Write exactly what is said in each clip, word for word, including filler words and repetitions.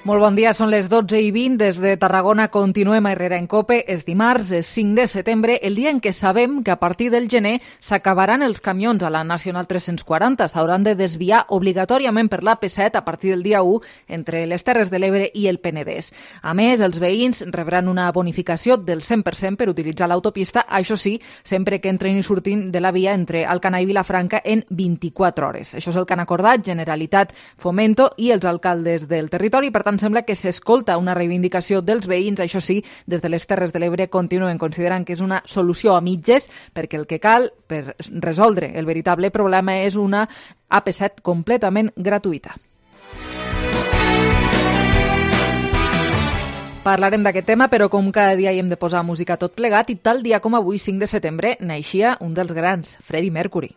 Molt bon dia, són les dotze i vint. Des de Tarragona continuem a Herrera en Cope. És dimarts, és cinc de setembre, el dia en què sabem que a partir del gener s'acabaran els camions a la Nacional tres-cents quaranta. S'hauran de desviar obligatòriament per l'A P set a partir del dia u entre les Terres de l'Ebre i el Penedès. A més, els veïns rebran una bonificació del cent per cent per utilitzar l'autopista, això sí, sempre que entrin i surtin de la via entre Alcanar i Vilafranca en vint-i-quatre hores. Això és el que han acordat Generalitat, Fomento i els alcaldes del territori. Per tant, sembla que s'escolta una reivindicació dels veïns. Això sí, des de les Terres de l'Ebre continuen considerant que és una solució a mitges, perquè el que cal per resoldre el veritable problema és una A P set completament gratuïta. Parlarem d'aquest tema, però com cada dia hi hem de posar música tot plegat, i tal dia com avui, cinc de setembre, naixia un dels grans, Freddie Mercury.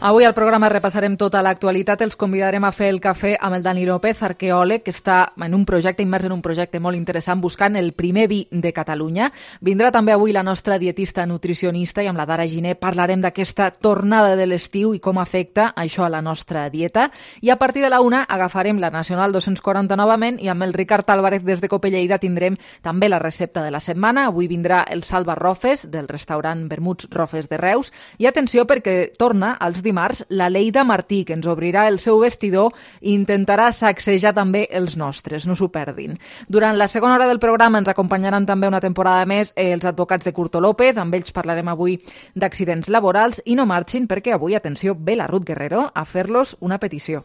Avui al programa repassarem tota l'actualitat. Els convidarem a fer el cafè amb el Dani López, arqueòleg, que està en un projecte, immers en un projecte molt interessant, buscant el primer vi de Catalunya. Vindrà també avui la nostra dietista nutricionista, i amb la Dara Giner parlarem d'aquesta tornada de l'estiu i com afecta això a la nostra dieta. I a partir de la una agafarem la Nacional dos-cents quaranta novament, i amb el Ricard Álvarez des de Cope Lleida tindrem també la recepta de la setmana. Avui vindrà el Salva Rofes, del restaurant Vermuts Rofes de Reus. I atenció, perquè torna als dimarts la Leida Martí, que ens obrirà el seu vestidor i intentarà sacsejar també els nostres, no s'ho perdin. Durant la segona hora del programa ens acompanyaran també una temporada més els advocats de Curto López. Amb ells parlarem avui d'accidents laborals, i no marxin perquè avui, atenció, ve la Ruth Guerrero a fer-los una petició.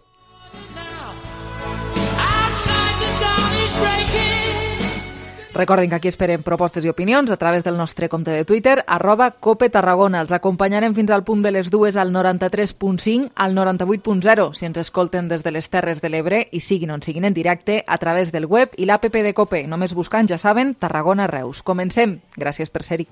Recordin que aquí esperem propostes i opinions a través del nostre compte de Twitter, arroba Cope Tarragona. Els acompanyarem fins al punt de les dues al noranta-tres punt cinc, al noranta-vuit punt zero, si ens escolten des de les Terres de l'Ebre, i siguin on siguin en directe, a través del web i l'app de Cope. Només buscant, ja saben, Tarragona Reus. Comencem. Gràcies per ser-hi.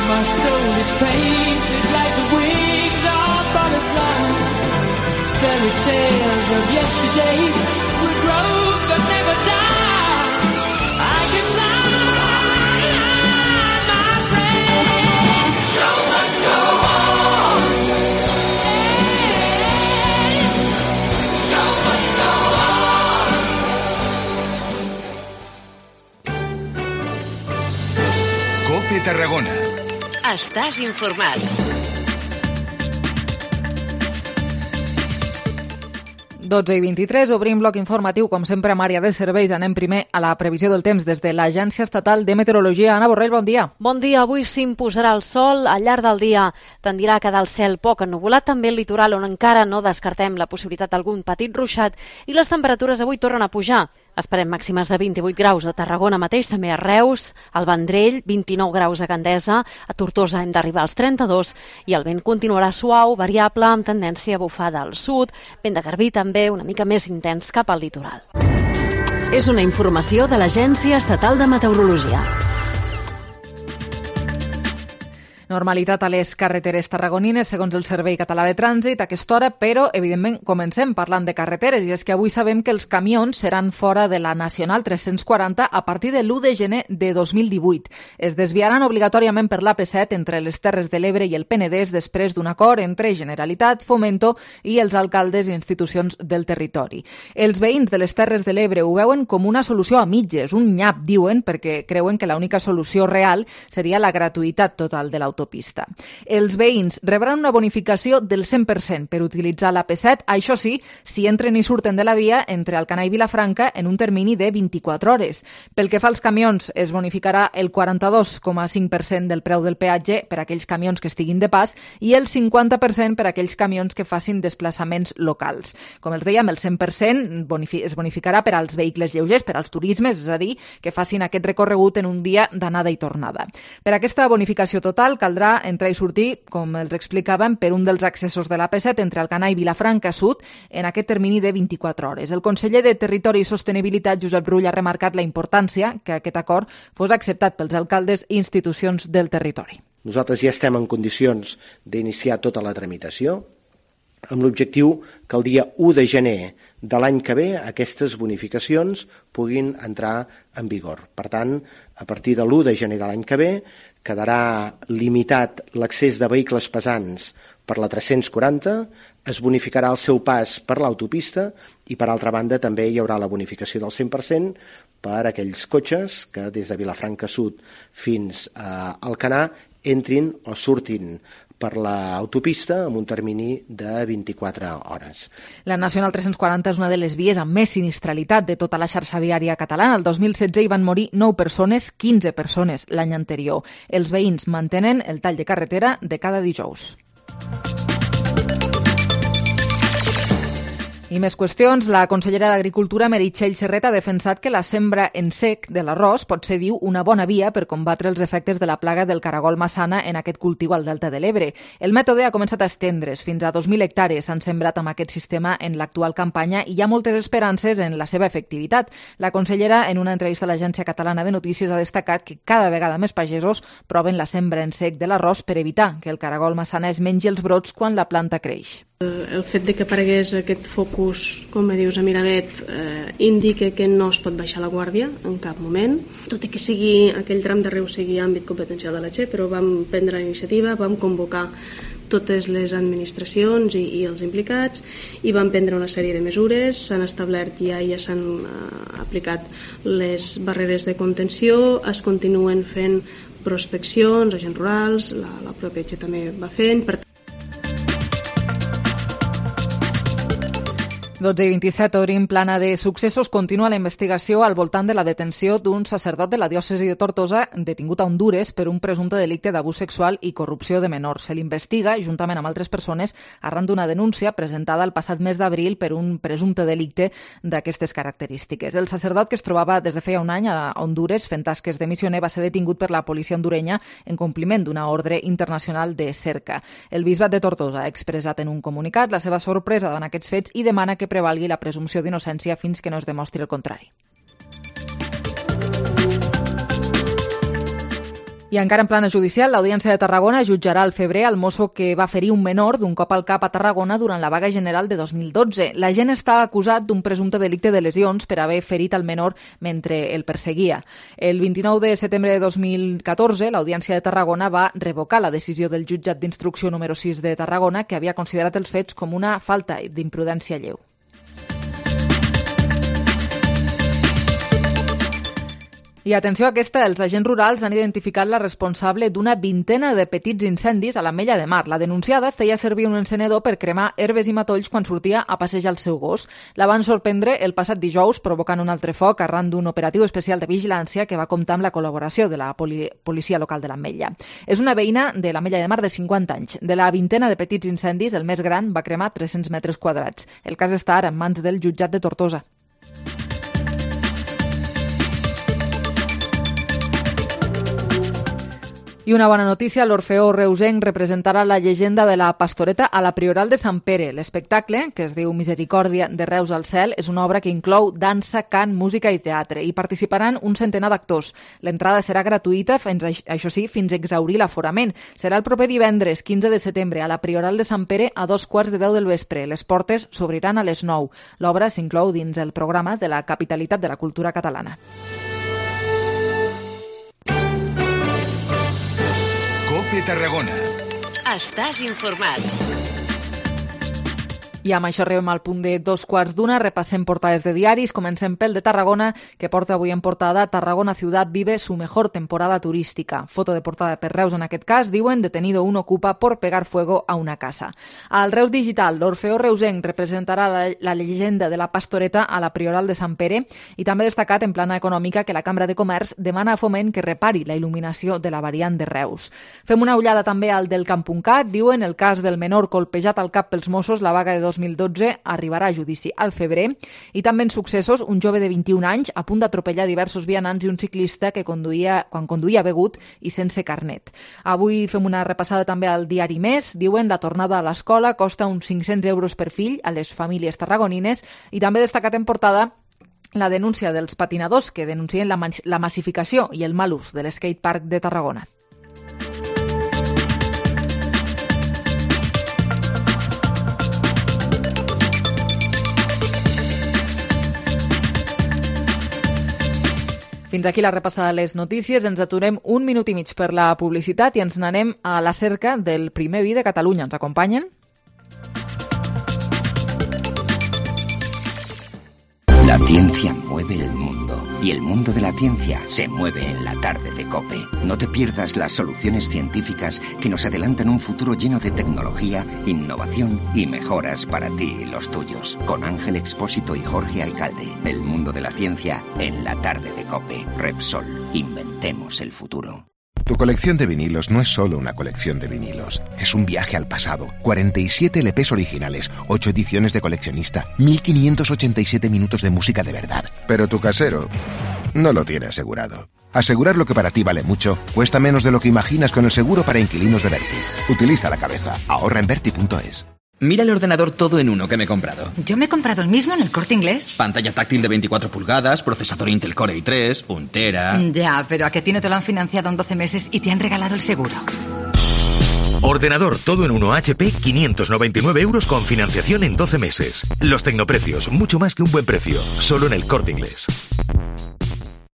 My soul is painted like the wings of butterflies. Fairy tales of yesterday will grow but never die. I can fly, my friend. The show must go on. Hey, the show must go on. Cope Tarragona. Estàs informat. dotze i vint-i-tres, obrim bloc informatiu, com sempre, amb àrea de serveis. Anem primer a la previsió del temps des de l'Agència Estatal de Meteorologia. Anna Borrell, bon dia. Bon dia. Avui s'imposarà el sol. Al llarg del dia tendirà a quedar el cel poc ennuvolat, també el litoral, on encara no descartem la possibilitat d'algun petit ruixat, i les temperatures avui tornen a pujar. Esperem màximes de vint-i-vuit graus a Tarragona mateix, també a Reus, al Vendrell, vint-i-nou graus a Gandesa, a Tortosa hem d'arribar als trenta-dos, i el vent continuarà suau, variable, amb tendència a bufar del sud, vent de garbí també una mica més intens cap al litoral. És una informació de l'Agència Estatal de Meteorologia. Normalitat a les carreteres tarragonines, segons el Servei Català de Trànsit, a aquesta hora, però, evidentment, comencem parlant de carreteres, i és que avui sabem que els camions seran fora de la Nacional tres-cents quaranta a partir de l'u de gener de dos mil divuit. Es desviaran obligatòriament per l'A P set entre les Terres de l'Ebre i el Penedès després d'un acord entre Generalitat, Fomento i els alcaldes i institucions del territori. Els veïns de les Terres de l'Ebre ho veuen com una solució a mitges, un nyap, diuen, perquè creuen que l'única solució real seria la gratuïtat total de l'autopista. l'autopista. Els veïns rebran una bonificació del cent per cent per utilitzar l'A P set, això sí, si entren i surten de la via entre Alcanar i Vilafranca en un termini de vint-i-quatre hores. Pel que fa als camions, es bonificarà el quaranta-dos coma cinc per cent del preu del peatge per a aquells camions que estiguin de pas i el cinquanta per cent per a aquells camions que facin desplaçaments locals. Com els dèiem, el cent per cent es bonificarà per als vehicles lleugers, per als turismes, és a dir, que facin aquest recorregut en un dia d'anada i tornada. Per aquesta bonificació total caldrà entrar i sortir, com els explicàvem, per un dels accessos de l'A P set entre Alcanar i Vilafranca Sud en aquest termini de vint-i-quatre hores. El conseller de Territori i Sostenibilitat, Josep Rull, ha remarcat la importància que aquest acord fos acceptat pels alcaldes i institucions del territori. Nosaltres ja estem en condicions d'iniciar tota la tramitació amb l'objectiu que el dia u de gener de l'any que ve aquestes bonificacions puguin entrar en vigor. Per tant, a partir de l'u de gener de l'any que ve quedarà limitat l'accés de vehicles pesants per la tres-cents quaranta, es bonificarà el seu pas per l'autopista i, per altra banda, també hi haurà la bonificació del cent per cent per a aquells cotxes que des de Vilafranca Sud fins a Alcanar entrin o surtin per l'autopista amb un termini de vint-i-quatre hores. La Nacional tres-cents quaranta és una de les vies amb més sinistralitat de tota la xarxa viària catalana. El dos mil setze hi van morir nou persones, quinze persones l'any anterior. Els veïns mantenen el tall de carretera de cada dijous. I més qüestions. La consellera d'Agricultura, Meritxell Serret, ha defensat que la sembra en sec de l'arròs pot ser, diu, una bona via per combatre els efectes de la plaga del caragol massana en aquest cultiu al Delta de l'Ebre. El mètode ha començat a estendre's. Fins a dos mil hectàrees s'han sembrat amb aquest sistema en l'actual campanya i hi ha moltes esperances en la seva efectivitat. La consellera, en una entrevista a l'Agència Catalana de Notícies, ha destacat que cada vegada més pagesos proven la sembra en sec de l'arròs per evitar que el caragol massana es mengi els brots quan la planta creix. El fet de que aparegués aquest focus, com dius, a Miravet, eh, indica que no es pot baixar la guàrdia en cap moment, tot i que sigui aquell tram de riu sigui àmbit competencial de la Che, però vam prendre la iniciativa, vam convocar totes les administracions i, i els implicats i van prendre una sèrie de mesures, s'han establert ja i ja s'han eh, aplicat les barreres de contenció, es continuen fent prospeccions, agents rurals, la, la pròpia Che també va fent. Per dotze i vint-i-set, obrim plana de successos. Continua la investigació al voltant de la detenció d'un sacerdot de la diòcesi de Tortosa detingut a Hondures per un presumpte delicte d'abús sexual i corrupció de menors. Se l'investiga, juntament amb altres persones, arran d'una denúncia presentada el passat mes d'abril per un presumpte delicte d'aquestes característiques. El sacerdot, que es trobava des de feia un any a Hondures fent tasques de missioner, va ser detingut per la policia hondurenya en compliment d'una ordre internacional de cerca. El bisbat de Tortosa ha expressat en un comunicat la seva sorpresa davant aquests fets i demana que prevalgui la presumpció d'innocència fins que no es demostri el contrari. I encara en plana judicial, l'Audiència de Tarragona jutjarà al febrer el mosso que va ferir un menor d'un cop al cap a Tarragona durant la vaga general de dos mil dotze. L'agent està acusat d'un presumpte delicte de lesions per haver ferit el menor mentre el perseguia. El vint-i-nou de setembre de dos mil catorze, l'Audiència de Tarragona va revocar la decisió del jutjat d'instrucció número sis de Tarragona, que havia considerat els fets com una falta d'imprudència lleu. I atenció a aquesta, els agents rurals han identificat la responsable d'una vintena de petits incendis a l'Ametlla de Mar. La denunciada feia servir un encenedor per cremar herbes i matolls quan sortia a passejar el seu gos. La van sorprendre el passat dijous provocant un altre foc arran d'un operatiu especial de vigilància que va comptar amb la col·laboració de la poli- policia local de l'Ametlla. És una veïna de l'Ametlla de Mar de cinquanta anys. De la vintena de petits incendis, el més gran va cremar tres-cents metres quadrats. El cas està ara en mans del jutjat de Tortosa. I una bona notícia, l'Orfeó Reusenc representarà la llegenda de la Pastoreta a la Prioral de Sant Pere. L'espectacle, que es diu Misericòrdia de Reus al cel, és una obra que inclou dansa, cant, música i teatre. Hi participaran un centenar d'actors. L'entrada serà gratuïta, fins, això sí, fins a exhaurir l'aforament. Serà el proper divendres, quinze de setembre, a la Prioral de Sant Pere a dos quarts de deu del vespre. Les portes s'obriran a les nou. L'obra s'inclou dins el programa de la Capitalitat de la Cultura Catalana. COPE Tarragona. Estàs informat. I amb això arribem al punt de dos quarts d'una, repassem portades de diaris, comencem pel de Tarragona, que porta avui en portada Tarragona ciudad vive su mejor temporada turística. Foto de portada per Reus en aquest cas, diuen detenido un ocupa por pegar fuego a una casa. Al Reus Digital, l'Orfeó Reusenc representarà la, la llegenda de la Pastoreta a la Prioral de Sant Pere i també destacat en plana econòmica que la Cambra de Comerç demana a Foment que repari la il·luminació de la variant de Reus. Fem una ullada també al del Camp.cat, diuen el cas del menor colpejat al cap pels Mossos, la vaga de dos mil dotze arribarà a judici al febrer, i també en successos un jove de vint-i-un anys a punt d'atropellar diversos vianants i un ciclista que conduïa, quan conduïa begut i sense carnet. Avui fem una repassada també al diari Més, diuen la tornada a l'escola costa uns cinc-cents euros per fill a les famílies tarragonines i també destacat en portada la denúncia dels patinadors que denuncien la, la massificació i el mal ús de l'skatepark de Tarragona. Fins aquí la repassada de les notícies. Ens aturem un minut i mig per la publicitat i ens n'anem a la cerca del primer vi de Catalunya. Ens acompanyen? La ciencia mueve el mundo y el mundo de la ciencia se mueve en la tarde de COPE. No te pierdas las soluciones científicas que nos adelantan un futuro lleno de tecnología, innovación y mejoras para ti y los tuyos. Con Ángel Expósito y Jorge Alcalde. El mundo de la ciencia en la tarde de COPE. Repsol. Inventemos el futuro. Tu colección de vinilos no es solo una colección de vinilos. Es un viaje al pasado. cuarenta y siete L Pes originales, ocho ediciones de coleccionista, mil quinientos ochenta y siete minutos de música de verdad. Pero tu casero no lo tiene asegurado. Asegurar lo que para ti vale mucho cuesta menos de lo que imaginas con el seguro para inquilinos de Berti. Utiliza la cabeza. Ahorra en berti punto es. Mira el ordenador todo en uno que me he comprado. Yo me he comprado el mismo en el Corte Inglés. Pantalla táctil de veinticuatro pulgadas, procesador Intel Core i tres, un tera... Ya, pero ¿a qué ti no te lo han financiado en doce meses y te han regalado el seguro? Ordenador todo en uno H P, quinientos noventa y nueve euros con financiación en doce meses. Los tecnoprecios, mucho más que un buen precio. Solo en el Corte Inglés.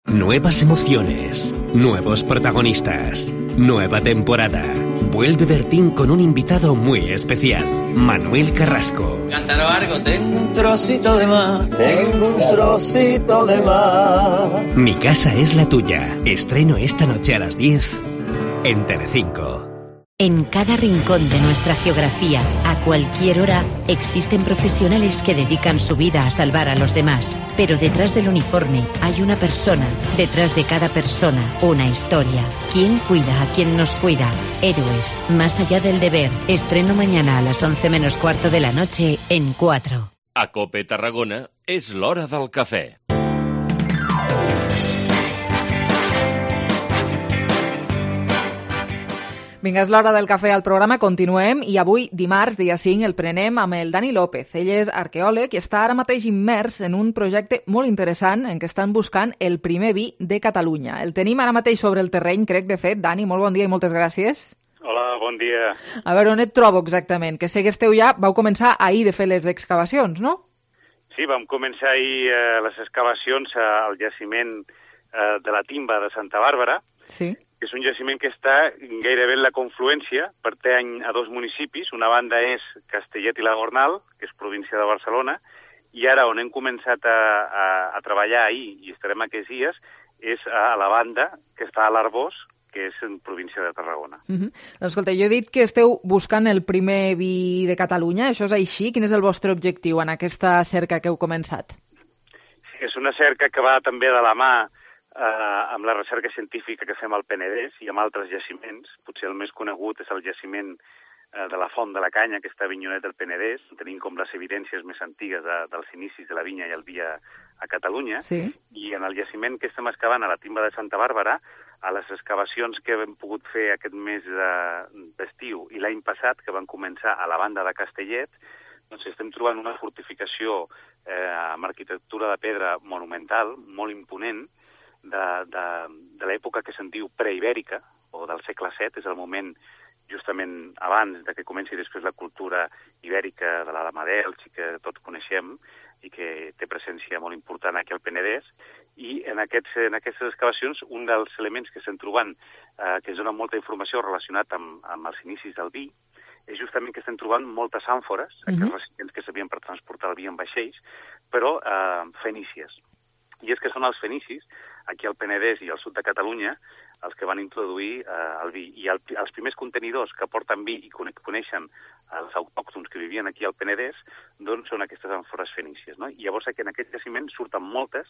Nuevas emociones, nuevos protagonistas, nueva temporada. Vuelve Bertín con un invitado muy especial, Manuel Carrasco. Cántaro algo, tengo un trocito de mar, tengo un trocito de mar. Mi casa es la tuya. Estreno esta noche a las diez en Telecinco. En cada rincón de nuestra geografía, a cualquier hora, existen profesionales que dedican su vida a salvar a los demás. Pero detrás del uniforme hay una persona. Detrás de cada persona, una historia. ¿Quién cuida a quien nos cuida? Héroes, más allá del deber. Estreno mañana a las once menos cuarto de la noche en cuatro. A COPE Tarragona és l'hora del cafè. Vinga, és l'hora del cafè al programa, continuem i avui, dimarts, dia cinc, el prenem amb el Dani López. Ell és arqueòleg i està ara mateix immers en un projecte molt interessant en què estan buscant el primer vi de Catalunya. El tenim ara mateix sobre el terreny, crec, de fet. Dani, molt bon dia i moltes gràcies. Hola, bon dia. A veure, on et trobo exactament? Que sé que esteu ja, vau començar ahir de fer les excavacions, no? Sí, vam començar ahir eh, les excavacions al jaciment eh, de la Timba de Santa Bàrbara. Sí. És un jaciment que està gairebé en la confluència, pertany a dos municipis. Una banda és Castellet i la Gornal, que és província de Barcelona, i ara on hem començat a, a, a treballar ahir, i estarem aquests dies, és a la banda que està a l'Arbós, que és en província de Tarragona. Uh-huh. Doncs escolta, jo he dit que esteu buscant el primer vi de Catalunya, això és així? Quin és el vostre objectiu en aquesta cerca que heu començat? Sí, és una cerca que va també de la mà eh, amb la recerca científica que fem al Penedès i amb altres jaciments. Potser el més conegut és el jaciment eh, de la Font de la Canya, que està a Avinyonet del Penedès. Tenim com les evidències més antigues de, dels inicis de la vinya i el vi a, a Catalunya. Sí. I en el jaciment que estem excavant a la Timba de Santa Bàrbara, a les excavacions que hem pogut fer aquest mes d'estiu i l'any passat, que van començar a la banda de Castellet, doncs estem trobant una fortificació eh, amb arquitectura de pedra monumental, molt imponent, de, de, de l'època que se'n diu preibèrica, o del segle set, és el moment justament abans de que comenci després la cultura ibèrica de la Delch, que tots coneixem, i que té presència molt important aquí al Penedès. I en, aquests, en aquestes excavacions, un dels elements que estem trobant, eh, que ens dona molta informació relacionat amb, amb els inicis del vi, és justament que estem trobant moltes àmfores, uh -huh. aquests recipients que servien per transportar el vi en vaixells, però eh, fenícies. I és que són els fenicis, aquí al Penedès i al sud de Catalunya, els que van introduir eh, el vi. I el, els primers contenidors que porten vi i coneixen els autòctons que vivien aquí al Penedès, doncs són aquestes àmfores fenícies, no? I llavors que en aquest jaciment surten moltes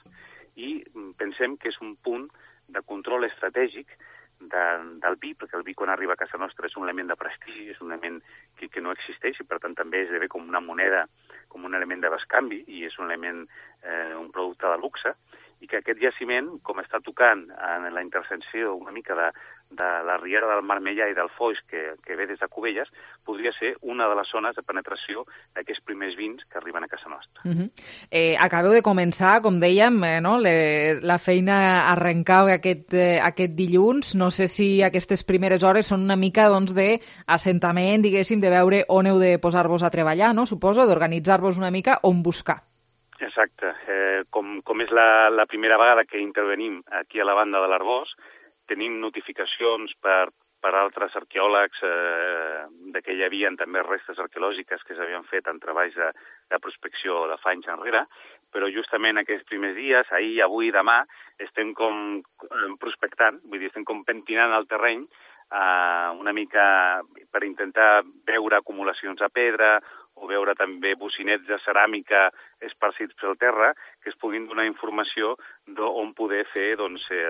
i pensem que és un punt de control estratègic de, del vi, perquè el vi quan arriba a casa nostra és un element de prestigi, és un element que, que no existeix i per tant també esdevé com una moneda, com un element de bescanvi i és un element, eh, un producte de luxe, i que aquest jaciment, com està tocant en la intersecció una mica de, de la riera del Marmellà i del Foix, que, que ve des de Cubelles, podria ser una de les zones de penetració d'aquests primers vins que arriben a casa nostra. Uh -huh. eh, acabeu de començar, com dèiem, eh, no? Le, la feina arrencava aquest, eh, aquest dilluns. No sé si aquestes primeres hores són una mica doncs, d'assentament, diguéssim, de veure on heu de posar-vos a treballar, no? Suposo, d'organitzar-vos una mica on buscar. Exacte. Eh, com, com és la, la primera vegada que intervenim aquí a la banda de l'Arboç, tenim notificacions per, per altres arqueòlegs eh, de que hi havia també restes arqueològiques que s'havien fet en treballs de, de prospecció de fa anys enrere, però justament aquests primers dies, ahir, avui i demà, estem com prospectant, vull dir, estem com pentinant el terreny eh, una mica per intentar veure acumulacions de pedra o veure també bocinets de ceràmica esparcits pel terra que es puguin donar informació d'on poder fer doncs, eh,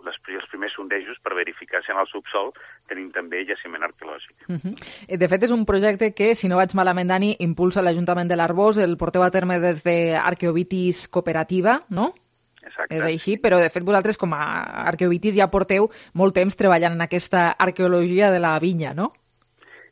les, els primers sondejos per verificar si en el subsol tenim també jaciment arqueològic. Uh -huh. De fet, és un projecte que, si no vaig malament, Dani, impulsa l'Ajuntament de l'Arboç, el porteu a terme des d'Arqueovitis Cooperativa, no? Exacte. És així, però de fet vosaltres com a Arqueovitis ja porteu molt temps treballant en aquesta arqueologia de la vinya, no?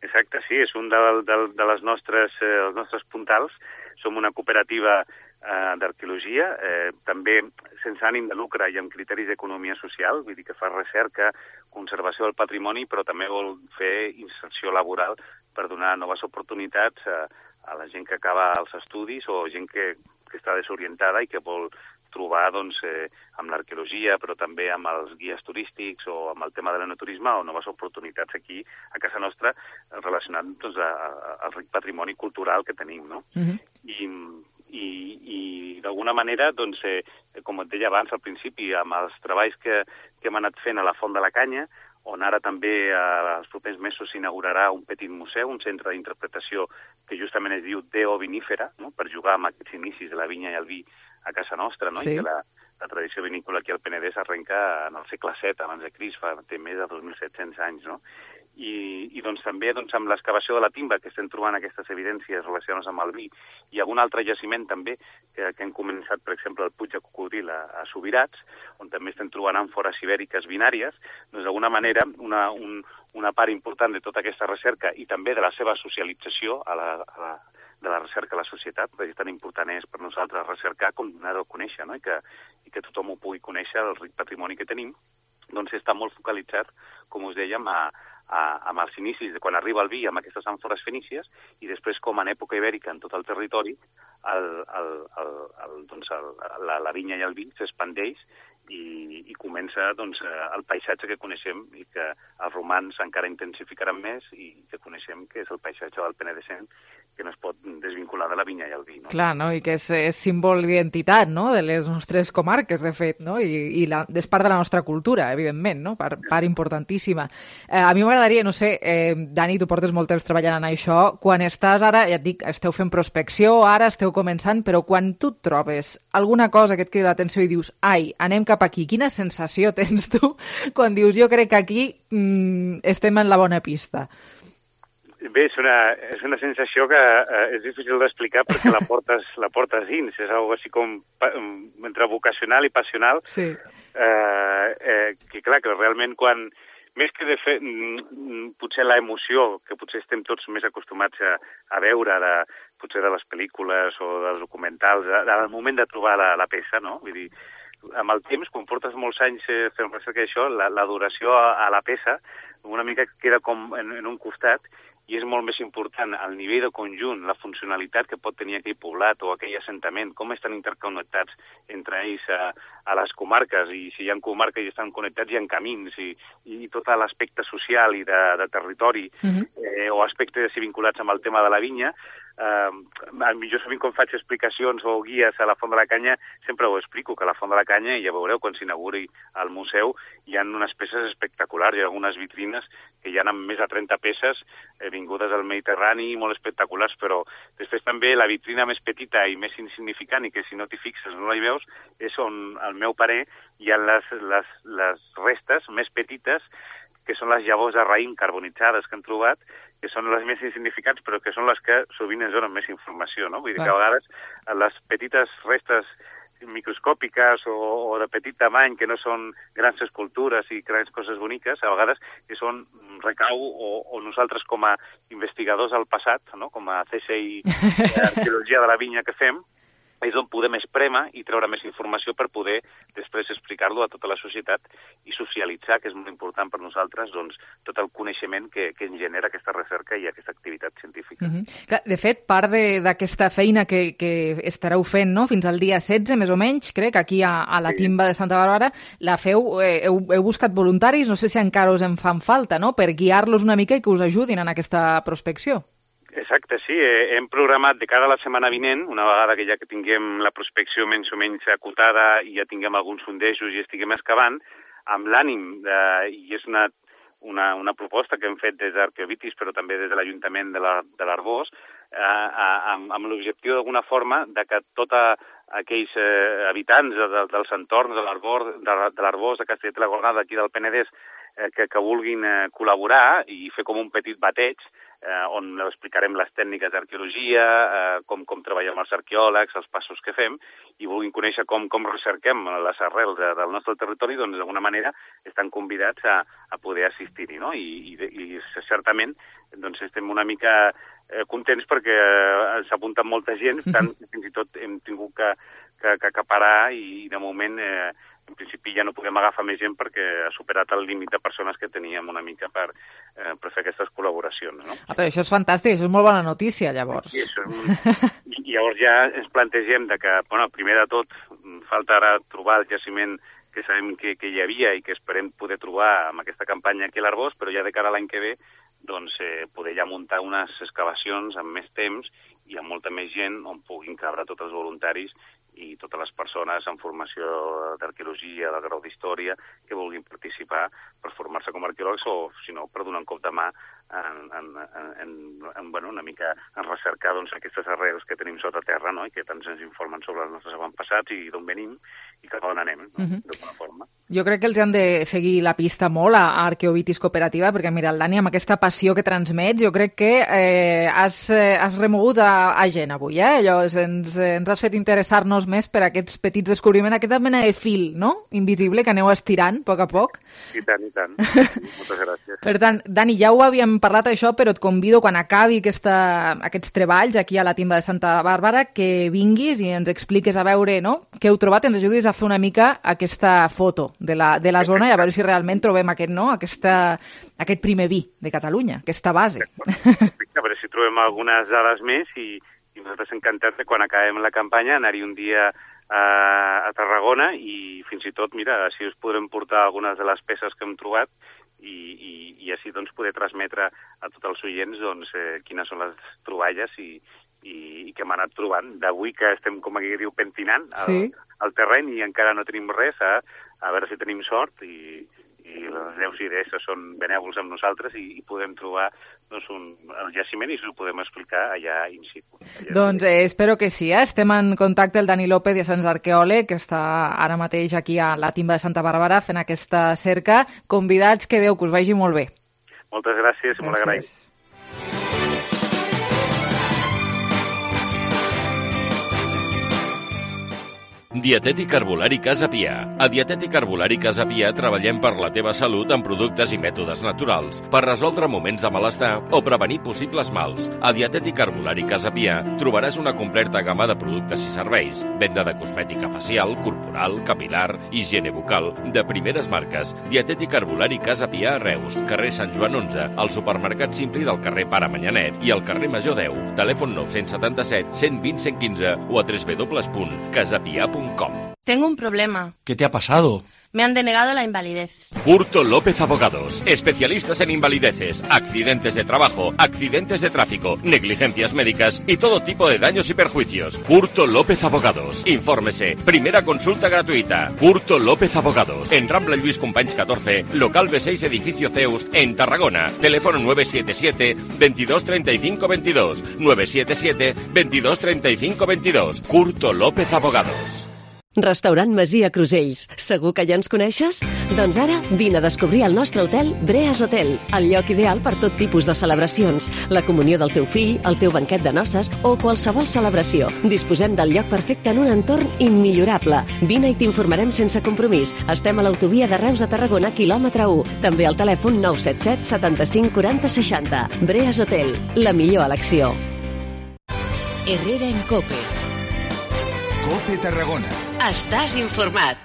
Exacte, sí, és un de, de, de les nostres, eh, els nostres puntals. Som una cooperativa eh, d'arqueologia, eh, també sense ànim de lucre i amb criteris d'economia social, vull dir que fa recerca, conservació del patrimoni, però també vol fer inserció laboral per donar noves oportunitats a, a la gent que acaba els estudis o gent que, que està desorientada i que vol trobar doncs, eh, amb l'arqueologia, però també amb els guies turístics o amb el tema de l'enoturisme o noves oportunitats aquí a casa nostra relacionat doncs, a, a, al ric patrimoni cultural que tenim, no? Uh-huh. I, i, i d'alguna manera, doncs, eh, com et deia abans al principi, amb els treballs que, que hem anat fent a la Font de la Canya, on ara també eh, els propers mesos s'inaugurarà un petit museu, un centre d'interpretació que justament es diu Deo Vinífera, no? Per jugar amb aquests inicis de la vinya i el vi a casa nostra, no? Sí. I que la, la tradició vinícola aquí al Penedès arrenca en el segle set abans de Crist, fa té més de dos mil set-cents anys, no? I, i doncs també doncs, amb l'excavació de la timba, que estem trobant aquestes evidències relacionades amb el vi, i algun altre jaciment també, que, que hem començat, per exemple, el Puig de Cocodril a, a Subirats, on també estem trobant àmfores ibèriques binàries, doncs d'alguna manera una, un, una part important de tota aquesta recerca i també de la seva socialització a la, a la de la recerca a la societat, perquè tan important és per nosaltres recercar com donar-ho a conèixer, no? I que, i que tothom ho pugui conèixer, el ric patrimoni que tenim, doncs està molt focalitzat, com us dèiem, a, a, amb els inicis de quan arriba el vi amb aquestes àmfores fenícies i després com en època ibèrica en tot el territori el, el, el, el, doncs el, la, la vinya i el vi s'expandeix i, i comença doncs, el paisatge que coneixem i que els romans encara intensificaran més i que coneixem que és el paisatge del Penedès que no es pot desvincular de la vinya i el vi. No? Clar, no? I que és, és símbol d'identitat, no? De les nostres comarques, de fet, no? I, i la, és part de la nostra cultura, evidentment, no? Part, part importantíssima. Eh, a mi m'agradaria, no sé, eh, Dani, tu portes molt temps treballant en això, quan estàs ara, ja et dic, esteu fent prospecció, ara esteu començant, però quan tu et trobes alguna cosa que et crida l'atenció i dius, ai, anem cap aquí, quina sensació tens tu quan dius, jo crec que aquí mm, estem en la bona pista? Bé, és una, és una sensació que eh, és difícil d'explicar perquè la portes, la portes dins. És algo així com entre vocacional i passional. Sí. Eh, eh, que clar, que realment quan... Més que de fer, potser la emoció, que potser estem tots més acostumats a, a veure, de, potser de les pel·lícules o dels documentals, al moment de trobar la, la peça, no? Vull dir, amb el temps, quan portes molts anys fent recerca d'això, l'adoració a, a la peça una mica queda com en, en un costat, i és molt més important el nivell de conjunt, la funcionalitat que pot tenir aquell poblat o aquell assentament, com estan interconnectats entre ells a, a les comarques, i si hi ha comarques i estan connectats hi ha camins, i, i tot l'aspecte social i de, de territori, uh-huh. eh, o aspectes vinculats amb el tema de la vinya. Uh, jo sovint quan faig explicacions o guies a la Font de la Canya sempre ho explico, que a la Font de la Canya, ja veureu quan s'inauguri el museu, hi ha unes peces espectaculars, hi ha algunes vitrines que hi ha amb més de trenta peces eh, vingudes del Mediterrani, molt espectaculars, però després també la vitrina més petita i més insignificant, i que si no t'hi fixes no la hi veus, és on, al meu parer, hi ha les, les, les restes més petites, que són les llavors de raïm carbonitzades que han trobat, que són les més insignificants, però que són les que sovint ens donen més informació, no? Vull dir que a vegades les petites restes microscòpiques o, o de petit tamany, que no són grans escultures i grans coses boniques, a vegades que són recau o, o nosaltres com a investigadors del passat, no? Com a C S I Arqueologia de la Vinya que fem, és on podem esprémer i treure més informació per poder després explicar-lo a tota la societat i socialitzar, que és molt important per nosaltres, doncs, tot el coneixement que, que ens genera aquesta recerca i aquesta activitat científica. Mm-hmm. Clar, de fet, part d'aquesta feina que, que estareu fent, no?, fins al dia setze, més o menys, crec, aquí a, a la sí. Timba de Santa Bàrbara, la feu, eh, heu, heu buscat voluntaris, no sé si encara us en fan falta, no?, per guiar-los una mica i que us ajudin en aquesta prospecció. Exacte, sí. Hem programat de cara a la setmana vinent, una vegada que ja que tinguem la prospecció menys o menys acotada i ja tinguem alguns sondejos i estiguem excavant, amb l'ànim, de, i és una, una, una proposta que hem fet des d'Arqueovitis, però també des de l'Ajuntament de l'Arboç, eh, amb, amb l'objectiu d'alguna forma de que tots aquells eh, habitants de, de, dels entorns de l'Arboç, de, de l'Arboç, de Castellet i la Gornal, d'aquí del Penedès, eh, que, que vulguin eh, col·laborar i fer com un petit bateig, Eh, on explicarem les tècniques d'arqueologia, eh, com, com treballem els arqueòlegs, els passos que fem, i vulguin conèixer com, com recerquem les arrels de, del nostre territori, doncs d'alguna manera estan convidats a, a poder assistir-hi, no? I, i, i certament doncs, estem una mica eh, contents perquè eh, s'ha apuntat molta gent, tant fins i tot hem tingut que, que, que acaparar i de moment eh, en principi ja no podem agafar més gent perquè ha superat el límit de persones que teníem una mica per, eh, per fer aquestes col·laboracions, no? Ah, però això és fantàstic, això és molt bona notícia, llavors. I, això és un... I llavors ja ens plantegem de que, bueno, primer de tot, falta ara trobar el jaciment que sabem que, que hi havia i que esperem poder trobar amb aquesta campanya aquí a l'Arboç, però ja de cara a l'any que ve, doncs, eh, poder ja muntar unes excavacions amb més temps i amb molta més gent on puguin cabre tots els voluntaris i totes les persones en formació d'arqueologia, de grau d'història, que vulguin participar per formar-se com a arqueòlegs o, si no, per donar un cop de mà en, en, en, en, bueno, una mica en recercar doncs, aquestes arrels que tenim sota terra, no?, i que tant ens informen sobre els nostres avantpassats i d'on venim i cap a on anem, no?, uh-huh. d'alguna forma. Jo crec que els han de seguir la pista molt a Arqueovitis Cooperativa, perquè mira, el Dani, amb aquesta passió que transmets, jo crec que eh, has, eh, has remogut a, a gent avui, eh? Allò, ens, ens has fet interessar-nos més per aquests petits descobriments, aquesta mena de fil, no?, invisible, que aneu estirant a poc a poc. I tant, i tant. Moltes gràcies. Per tant, Dani, ja ho havíem parlat això, però et convido quan acabi aquesta, aquests treballs aquí a la Timba de Santa Bàrbara que vinguis i ens expliques a veure, no?, què heu trobat, ens ajudis a fer una mica aquesta foto de la, de la zona i a veure si realment trobem aquest, no?, aquesta, aquest primer vi de Catalunya, aquesta base. A veure si trobem algunes dades més i, i nosaltres encantats de quan acabem la campanya anar-hi un dia a, a Tarragona i fins i tot, mira, així us podrem portar algunes de les peces que hem trobat i, i, i així doncs poder transmetre a tots els oients doncs, eh, quines són les troballes i, i, i que hem anat trobant. D'avui que estem, com aquí diu, pentinant el, sí. el terreny i encara no tenim res, a, a veure si tenim sort i, i els déus i déesses són benèvols amb nosaltres i, i podem trobar doncs, un, el jaciment i s'ho podem explicar allà in situ. Allà doncs eh, espero que sí. Eh? Estem en contacte el Dani López, ja sabem, arqueòleg, que està ara mateix aquí a la Timba de Santa Bàrbara fent aquesta cerca. Convidats, que Déu, que us vagi molt bé. Moltes gràcies i molt agraït. Dietètic Herbolari Casa Pia. A Dietètic Herbolari Casa Pia treballem per la teva salut amb productes i mètodes naturals, per resoldre moments de malestar o prevenir possibles mals. A Dietètic Herbolari Casa Pia trobaràs una completa gamma de productes i serveis, venda de cosmètica facial, corporal, capilar, higiene bucal, de primeres marques. Dietètic Herbolari Casa Pia a Reus, carrer Sant Joan onze, al supermercat Simpli del carrer Pare Manyanet i al carrer Major deu. Telèfon nou setanta set, cent vint, cent quinze o a w w w punt casapia punt com. Tengo un problema. ¿Qué te ha pasado? Me han denegado la invalidez. Curto López Abogados, especialistas en invalideces, accidentes de trabajo, accidentes de tráfico, negligencias médicas y todo tipo de daños y perjuicios. Curto López Abogados. Infórmese. Primera consulta gratuita. Curto López Abogados. En Rambla Lluís Companys catorce, local B seis, edificio Zeus, en Tarragona. Teléfono nueve siete siete, veintidós treinta y cinco veintidós. nueve siete siete, veintidós treinta y cinco veintidós. Curto López Abogados. Restaurant Masia Crusells. Segur que ja ens coneixes? Doncs ara vine a descobrir el nostre hotel Breas Hotel, el lloc ideal per tot tipus de celebracions, la comunió del teu fill, el teu banquet de noces o qualsevol celebració. Disposem del lloc perfecte en un entorn immillorable. Vine i t'informarem sense compromís. Estem a l'autovia de Reus a Tarragona, quilòmetre u. També al telèfon nou set set, setanta-cinc, quaranta, seixanta. Breas Hotel, la millor elecció. Herrera en Cope. Cope Tarragona. Estàs informat.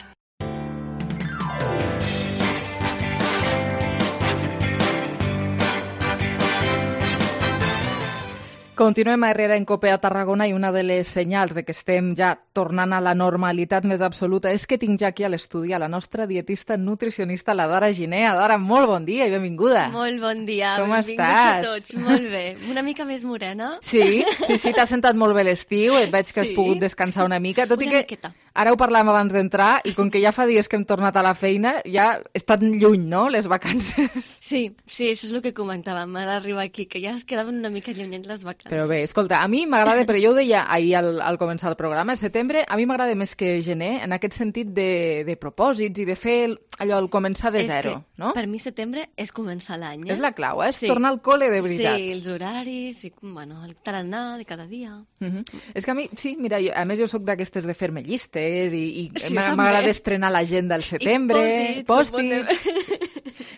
Continuem a Herrera en Cope a Tarragona i una de les senyals de que estem ja tornant a la normalitat més absoluta és que tinc ja aquí a l'estudi a la nostra dietista nutricionista, la Dara Giner. Dara, molt bon dia i benvinguda. Molt bon dia. Com benvinguts estàs? a tots. Molt bé. Una mica més morena. Sí, sí, sí, t'ha sentat molt bé l'estiu, et veig que has Sí. pogut descansar una mica, tot Una i que miqueta. ara ho parlàvem abans d'entrar i com que ja fa dies que hem tornat a la feina, ja estan lluny, no?, les vacances. Sí, sí, això és el que comentàvem d'arribar aquí, que ja es quedaven una mica llunyent les vacances. Però bé, escolta, a mi m'agrada, però jo ho deia ahir al, al començar el programa, el setembre, a mi m'agrada més que gener, en aquest sentit de, de propòsits i de fer el, allò, el començar de És zero, que, no? per mi setembre és començar l'any. Eh? És la clau, eh? És tornar al col·le de veritat. Sí, els horaris, i, bueno, el tarannà de cada dia. Uh -huh. És que a mi, sí, mira, jo, a més jo sóc d'aquestes de fer-me llistes i, i Sí, m'agrada també. estrenar l'agenda al setembre, I pòstits...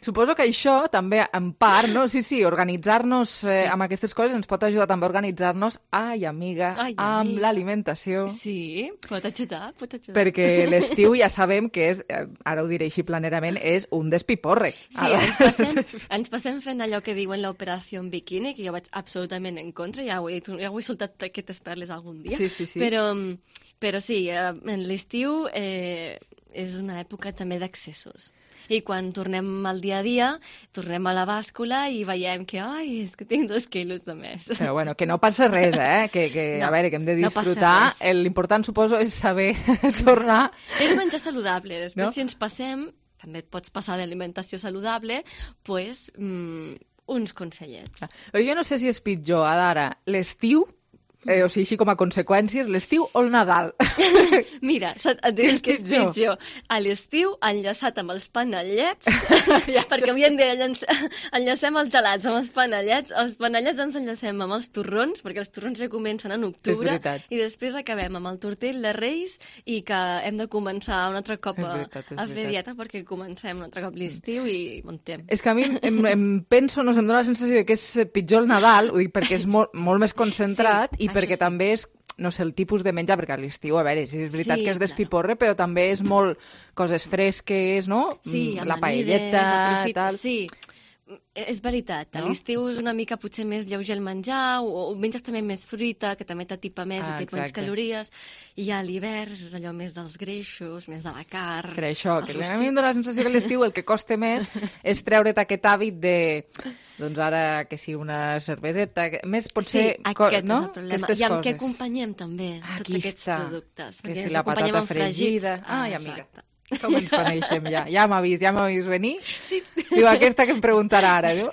Suposo que això també, en part, no? Sí, sí, organitzar-nos eh, Sí. amb aquestes coses ens pot ajudar també a organitzar-nos, ai, amiga, Ai, amb amiga. l'alimentació. Sí, pot ajudar, pot ajudar. Perquè l'estiu ja sabem que és, eh, ara ho diré així planerament, és un despiporre. Sí, ens passem, ens passem fent allò que diuen l'operació en biquini, que jo vaig absolutament en contra, ja ho he, dit, ja ho he soltat aquestes perles algun dia. Sí, sí, sí. Però, però sí, eh, en l'estiu eh, és una època també d'accessos. I quan tornem al dia a dia, tornem a la bàscula i veiem que, ai, és que tinc dos quilos de més. Però bueno, que no passa res, eh? Que, que No, a veure, que hem de no passa disfrutar. res. L'important, suposo, és saber tornar... És menjar saludable. Després, No? si ens passem, també et pots passar d'alimentació saludable, pues, mm, uns consellets. Però jo no sé si és pitjor, ara, l'estiu, eh, o sigui, així com a conseqüències, l'estiu o el Nadal? Mira, et diré que és pitjor? pitjor. A l'estiu, enllaçat amb els panellets, perquè avui en dia enllaç- enllacem els gelats amb els panellets, els panellets ens enllacem amb els torrons, perquè els torrons ja comencen en octubre, veritat. i després acabem amb el tortell de Reis, i que hem de començar un altre cop És a, veritat, és a fer veritat. dieta, perquè comencem un altre cop l'estiu i muntem. És que a mi em, em penso, no, em dóna la sensació de que és pitjor el Nadal, ho dic perquè és molt, molt més concentrat Sí, i perquè això sí. també és, no sé, el tipus de menjar, perquè a l'estiu, a veure, sí, és veritat Sí, que és claro. despiporre, però també és molt coses fresques, no? Sí, Mm, la amanides, paelleta, aprofit- tal. Sí, és veritat. A No? l'estiu és una mica potser més lleuger el menjar, o, o menges també més fruita, que també t'atipa més Ah, i té menys exacte. calories, i a l'hivern és allò més dels greixos, més de la carn. Per això, que els a mi em dóna la sensació que a l'estiu el que costa més és treure't aquest hàbit de, doncs ara, que sí, una cerveseta, que, més potser... Sí, co- aquest no? és el problema. Aquestes I amb què coses. acompanyem també Aquí tots aquests està. productes? Que Perquè si ens la acompanyem patata amb fregits. fregida. Ai, Ah, amiga. exacte. Com ens coneixem ja? Ja m'ha vist, ja m'ha vist venir. Sí. Diu, aquesta que em preguntarà ara, diu.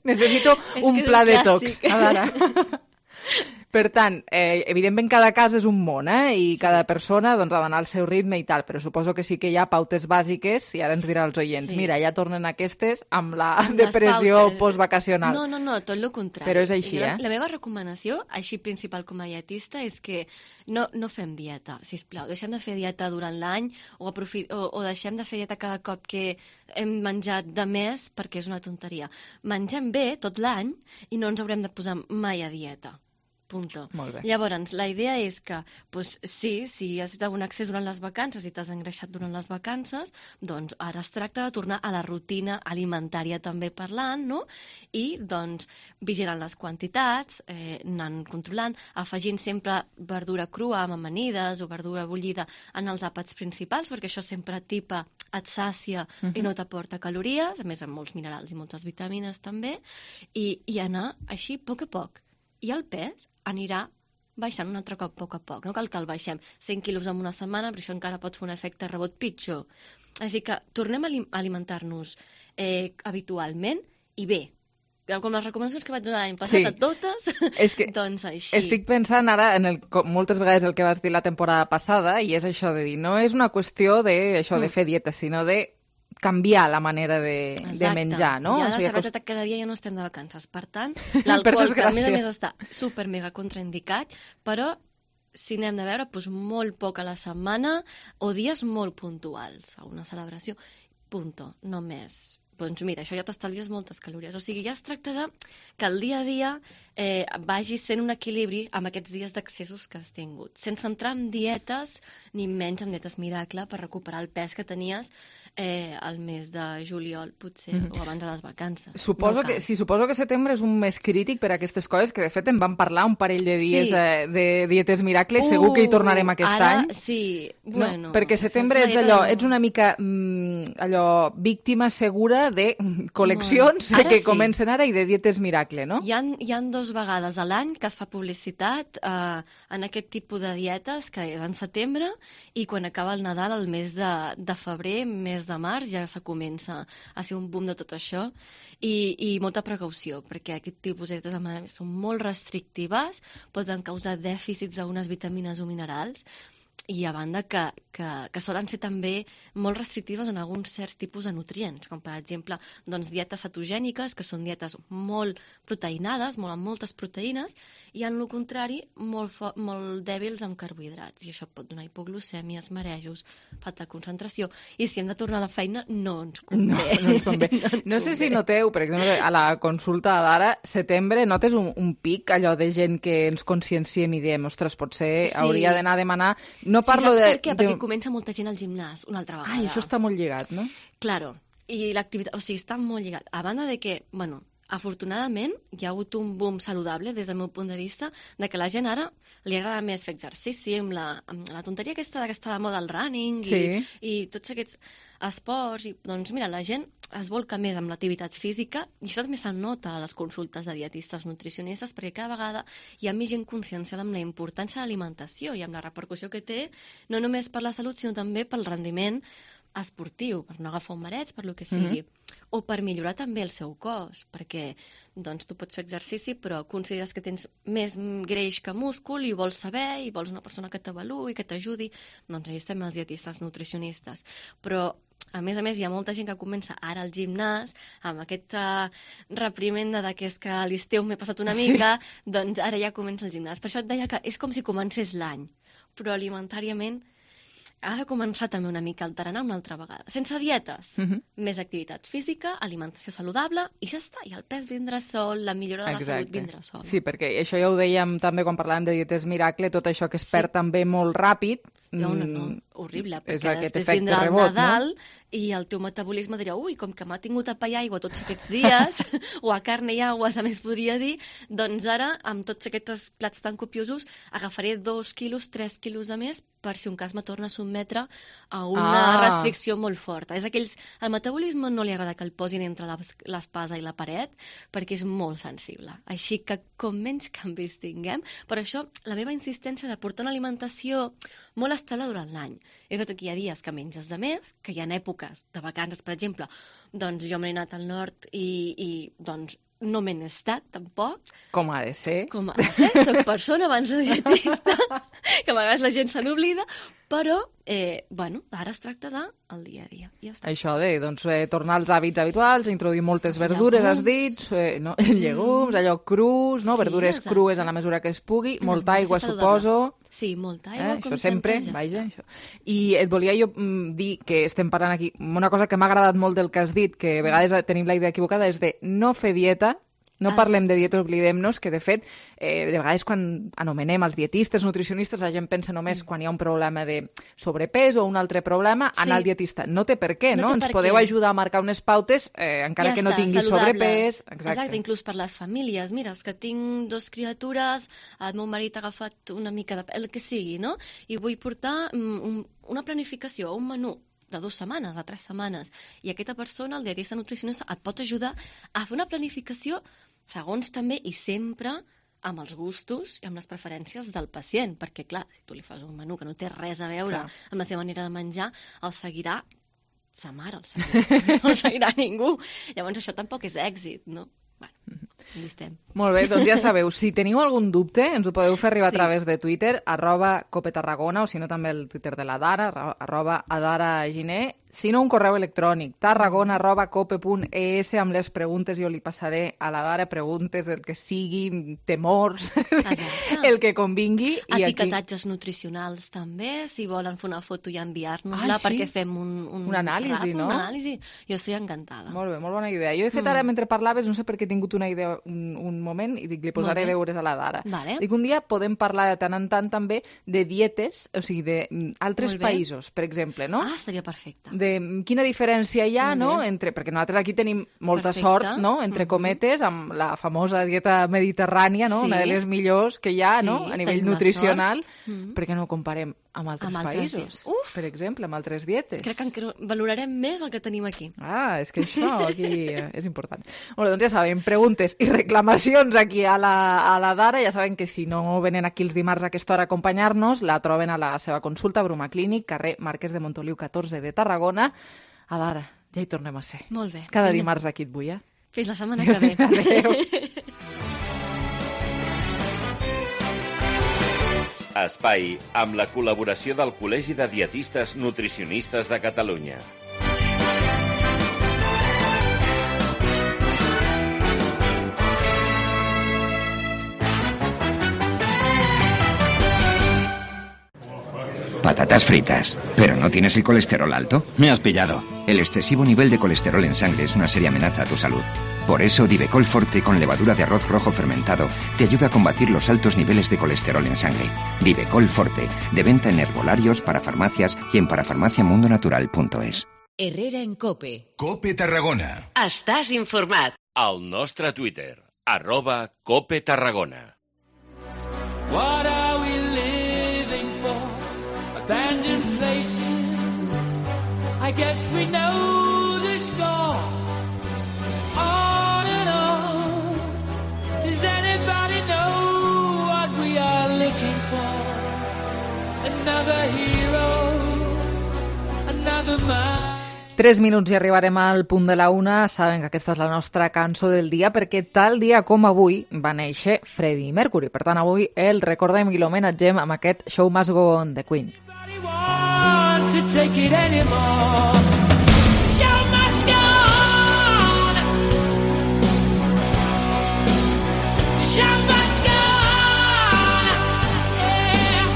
Necessito És un que és pla un detox. clàssic. Ara. Per tant, eh, evidentment cada cas és un món, eh? I sí. cada persona doncs, ha d'anar al seu ritme i tal, però suposo que sí que hi ha pautes bàsiques i ara ens dirà els oients, sí. mira, ja tornen aquestes amb la amb depressió postvacacional. No, no, no, tot el contrari. Però és així, la, eh? La meva recomanació, així principal com a dietista, és que no, no fem dieta, sisplau. Deixem de fer dieta durant l'any o, aprofit, o, o deixem de fer dieta cada cop que hem menjat de més perquè és una tonteria. Mengem bé tot l'any i no ens haurem de posar mai a dieta. Punto. Molt bé. Llavors, la idea és que, pues, sí, si has fet un accés durant les vacances i t'has engreixat durant les vacances, doncs ara es tracta de tornar a la rutina alimentària també parlant, no? I, doncs, vigilant les quantitats, eh, anant controlant, afegint sempre verdura crua amb amanides o verdura bullida en els àpats principals, perquè això sempre tipa et sàcia uh-huh. i no t'aporta calories, a més amb molts minerals i moltes vitamines també, i, i anar així a poc a poc. I el pes anirà baixant un altre cop a poc a poc. No cal que el baixem cent quilos en una setmana, però això encara pot fer un efecte rebot pitjor. Així que tornem a alimentar-nos eh, habitualment i bé. Com les recomanacions que vaig donar l'any passat sí. a totes, és que doncs així. Estic pensant ara en el, moltes vegades el que vas dir la temporada passada, i és això de dir, no és una qüestió de, això, mm. de fer dieta, sinó de canviar la manera de, de menjar, no? Ja o la sigui, cervesa cost... cada dia ja no estem de vacances. Per tant, l'alcohol, que a més a més està super mega contraindicat, però si n'hem de veure, doncs molt poc a la setmana o dies molt puntuals a una celebració. Punto, no més. Doncs mira, això ja t'estalvies moltes calories. O sigui, ja es tracta de que el dia a dia eh, vagi sent un equilibri amb aquests dies d'accessos que has tingut, sense entrar en dietes, ni menys en dietes miracle per recuperar el pes que tenies eh, el mes de juliol, potser, mm-hmm. o abans de les vacances. Suposo, no que, sí, suposo que setembre és un mes crític per a aquestes coses, que de fet en vam parlar un parell de dies sí. eh, de dietes miracle, uh, segur que hi tornarem aquest ara, any. Sí, bueno... No? Perquè setembre ets allò, ets una mica mm, allò, víctima segura de col·leccions bueno, que sí. comencen ara i de dietes miracle, no? Hi ha, hi ha dos vegades a l'any que es fa publicitat eh, en aquest tipus de dietes, que és en setembre, i quan acaba el Nadal, el mes de, de febrer, mes de març, ja se comença a ser un boom de tot això, i, i molta precaució, perquè aquest tipus de dietes són molt restrictives, poden causar dèficits d'unes vitamines o minerals, i a banda que, que, que solen ser també molt restrictives en alguns certs tipus de nutrients, com per exemple doncs, dietes cetogèniques, que són dietes molt proteinades, molt amb moltes proteïnes, i en el contrari molt, fo- molt dèbils amb carbohidrats, i això pot donar hipoglucèmies, marejos, falta de concentració, i si hem de tornar a la feina no ens convé. No, no ens convé. no, ens no sé convé. Si noteu, per exemple, a la consulta d'ara, setembre, notes un, un pic, allò de gent que ens conscienciem i diem, ostres, potser sí. hauria d'anar a demanar... No parlo sí, saps de, per què? de... Perquè comença molta gent al gimnàs, una altra vegada. Ai, això està molt lligat, no? Claro, i l'activitat, o sigui, està molt lligat. A banda de que, bueno, afortunadament hi ha hagut un boom saludable des del meu punt de vista, de que la gent ara li agrada més fer exercici amb la, amb la tonteria aquesta que està de moda el running i, sí. i tots aquests esports. I, doncs mira, la gent es volca més amb l'activitat física, i això també se'n nota a les consultes de dietistes nutricionistes, perquè cada vegada hi ha més gent conscienciada amb la importància de l'alimentació i amb la repercussió que té, no només per la salut, sinó també pel rendiment esportiu, per no agafar un mareig, per lo que sigui, mm-hmm. o per millorar també el seu cos, perquè doncs, tu pots fer exercici, però consideres que tens més greix que múscul i vols saber, i vols una persona que t'avaluï, que t'ajudi, doncs allà estem els dietistes nutricionistes. Però a més a més, hi ha molta gent que comença ara al gimnàs, amb aquesta reprimenda de que és que a l'estiu m'he passat una mica, sí. doncs ara ja comença el gimnàs. Per això et deia que és com si comencés l'any, però alimentàriament ha de començar també una mica a alterar una altra vegada. Sense dietes, uh-huh. més activitat física, alimentació saludable, i ja està. I el pes vindrà sol, la millora de Exacte. La salut vindrà sol. Sí, perquè això ja ho dèiem també quan parlàvem de dietes miracle, tot això que es perd sí. també molt ràpid. No, no, no, horrible, perquè és després vindrà el rebot, Nadal, no? I el teu metabolisme dirà, ui, com que m'ha tingut a pa i aigua tots aquests dies, o a carn i aigua, a més podria dir, doncs ara, amb tots aquests plats tan copiosos, agafaré dos quilos, tres quilos a més, per si un cas me torna a sotmetre a una ah. restricció molt forta. És aquells... El metabolisme no li agrada que el posin entre l'espasa i la paret, perquè és molt sensible. Així que com menys canvis tinguem, per això la meva insistència de portar una alimentació molt estable durant l'any. És veritat que hi ha dies que menges de més, que hi ha èpoques de vacances, per exemple, doncs jo m'he anat al nord i, i doncs no m'he estat, tampoc. Com ha de ser. Com ha de ser, soc persona abans de dietista, que a vegades la gent se n'oblida, però, eh, bueno, ara es tracta de el dia a dia. Ja està. Això de, doncs, eh, tornar als hàbits habituals, introduir moltes sí, verdures, has dit, eh, no? llegums, allò crus, no? Sí, verdures exacte. crues en la mesura que es pugui, Una molta aigua, alimentació suposo. Sí, molta aigua, Eh? com Això sempre, ja vaja, està. això. I et volia jo mm, dir que estem parlant aquí, una cosa que m'ha agradat molt del que has dit, que a vegades tenim la idea equivocada, és de no fer dieta. No parlem de dieta, oblidem-nos que, de fet, eh, de vegades quan anomenem els dietistes, nutricionistes, la gent pensa només quan hi ha un problema de sobrepès o un altre problema, anar Sí. al dietista. No té per què, No no? té Ens per podeu què. ajudar a marcar unes pautes, eh, encara Ja que no està, tingui saludables. sobrepès. Exacte. Exacte, inclús per les famílies. Mira, és que tinc dos criatures, el meu marit ha agafat una mica de... el que sigui, no? I vull portar mm, un, una planificació, un menú de dues setmanes, de tres setmanes. I aquesta persona, el dietista nutricionista, et pot ajudar a fer una planificació segons també i sempre amb els gustos i amb les preferències del pacient, perquè, clar, si tu li fas un menú que no té res a veure Clar. amb la seva manera de menjar, el seguirà sa mare, el seguirà, no el seguirà ningú. Llavors això tampoc és èxit, no? Bueno, aquí estem. Molt bé, doncs ja sabeu, si teniu algun dubte, ens ho podeu fer arribar Sí. a través de Twitter, arroba copetarragona, o si no també el Twitter de la Dara, arro- arroba adaraginer, si no un correu electrònic, tarragona arroba cope punt es, amb les preguntes jo li passaré a la Dara, preguntes del que sigui, temors, el que convingui. I aquí... Etiquetatges nutricionals també, si volen fer una foto i enviar-nos-la Ah, sí? perquè fem un, un, Un anàlisi, rap, no? Un anàlisi. Jo estic encantada. Molt bé, molt bona idea. Jo, de fet, Mm. ara, mentre parlaves, no sé per què he tingut una idea un, un moment, i dic, li posaré Molt bé. deures a la Dara. Vale. Dic, un dia podem parlar de tant en tant també de dietes, o sigui, d'altres Molt bé. països, per exemple, no? Ah, seria perfecte. De mm, quina diferència hi ha, Molt no?, bé. entre, perquè nosaltres aquí tenim molta Perfecte. sort, no?, entre cometes, amb la famosa dieta mediterrània, no?, Sí. una de les millors que hi ha, Sí, no?, a nivell tenim la nutricional, sort. Mm. perquè no ho comparem amb altres Amb altres països, dietes. Uf! per exemple, amb altres dietes. Crec que encara valorarem més el que tenim aquí. Ah, és que això aquí eh, és important. Molt bé, doncs ja saben, preguntes i reclamacions aquí a la, a la Dara. Ja saben que si no venen aquí els dimarts a aquesta hora a acompanyar-nos, la troben a la seva consulta, Bruma Clínic, carrer Marquès de Montoliu catorze de Tarragona. A Dara, ja hi tornem a ser. Molt bé. Cada Vinga. dimarts aquí et vull, eh? Fins la setmana que ve. Adéu. Espai amb la col·laboració del Col·legi de Dietistes Nutricionistes de Catalunya. Patatas fritas. ¿Pero no tienes el colesterol alto? Me has pillado. El excesivo nivel de colesterol en sangre es una seria amenaza a tu salud. Por eso, Divecol Forte con levadura de arroz rojo fermentado te ayuda a combatir los altos niveles de colesterol en sangre. Divecol Forte, de venta en herbolarios, parafarmacias y en parafarmaciamundonatural punto es. Herrera en Cope. Cope Tarragona. Estàs informat. Al nostre Twitter, arroba Cope Tarragona. What are we living for? Abandoned places. I guess we know the score. On and on. Does anybody know what we are looking for? Another hero, another man. Tres minuts i arribarem al punt de la una. Saben que aquesta és la nostra cançó del dia, perquè tal dia com avui va néixer Freddie Mercury. Per tant, avui el recordem i l'homenatgem amb aquest Show Must Go On de Queen. Want to take it anymore. Show must go on. The show must go on. Yeah.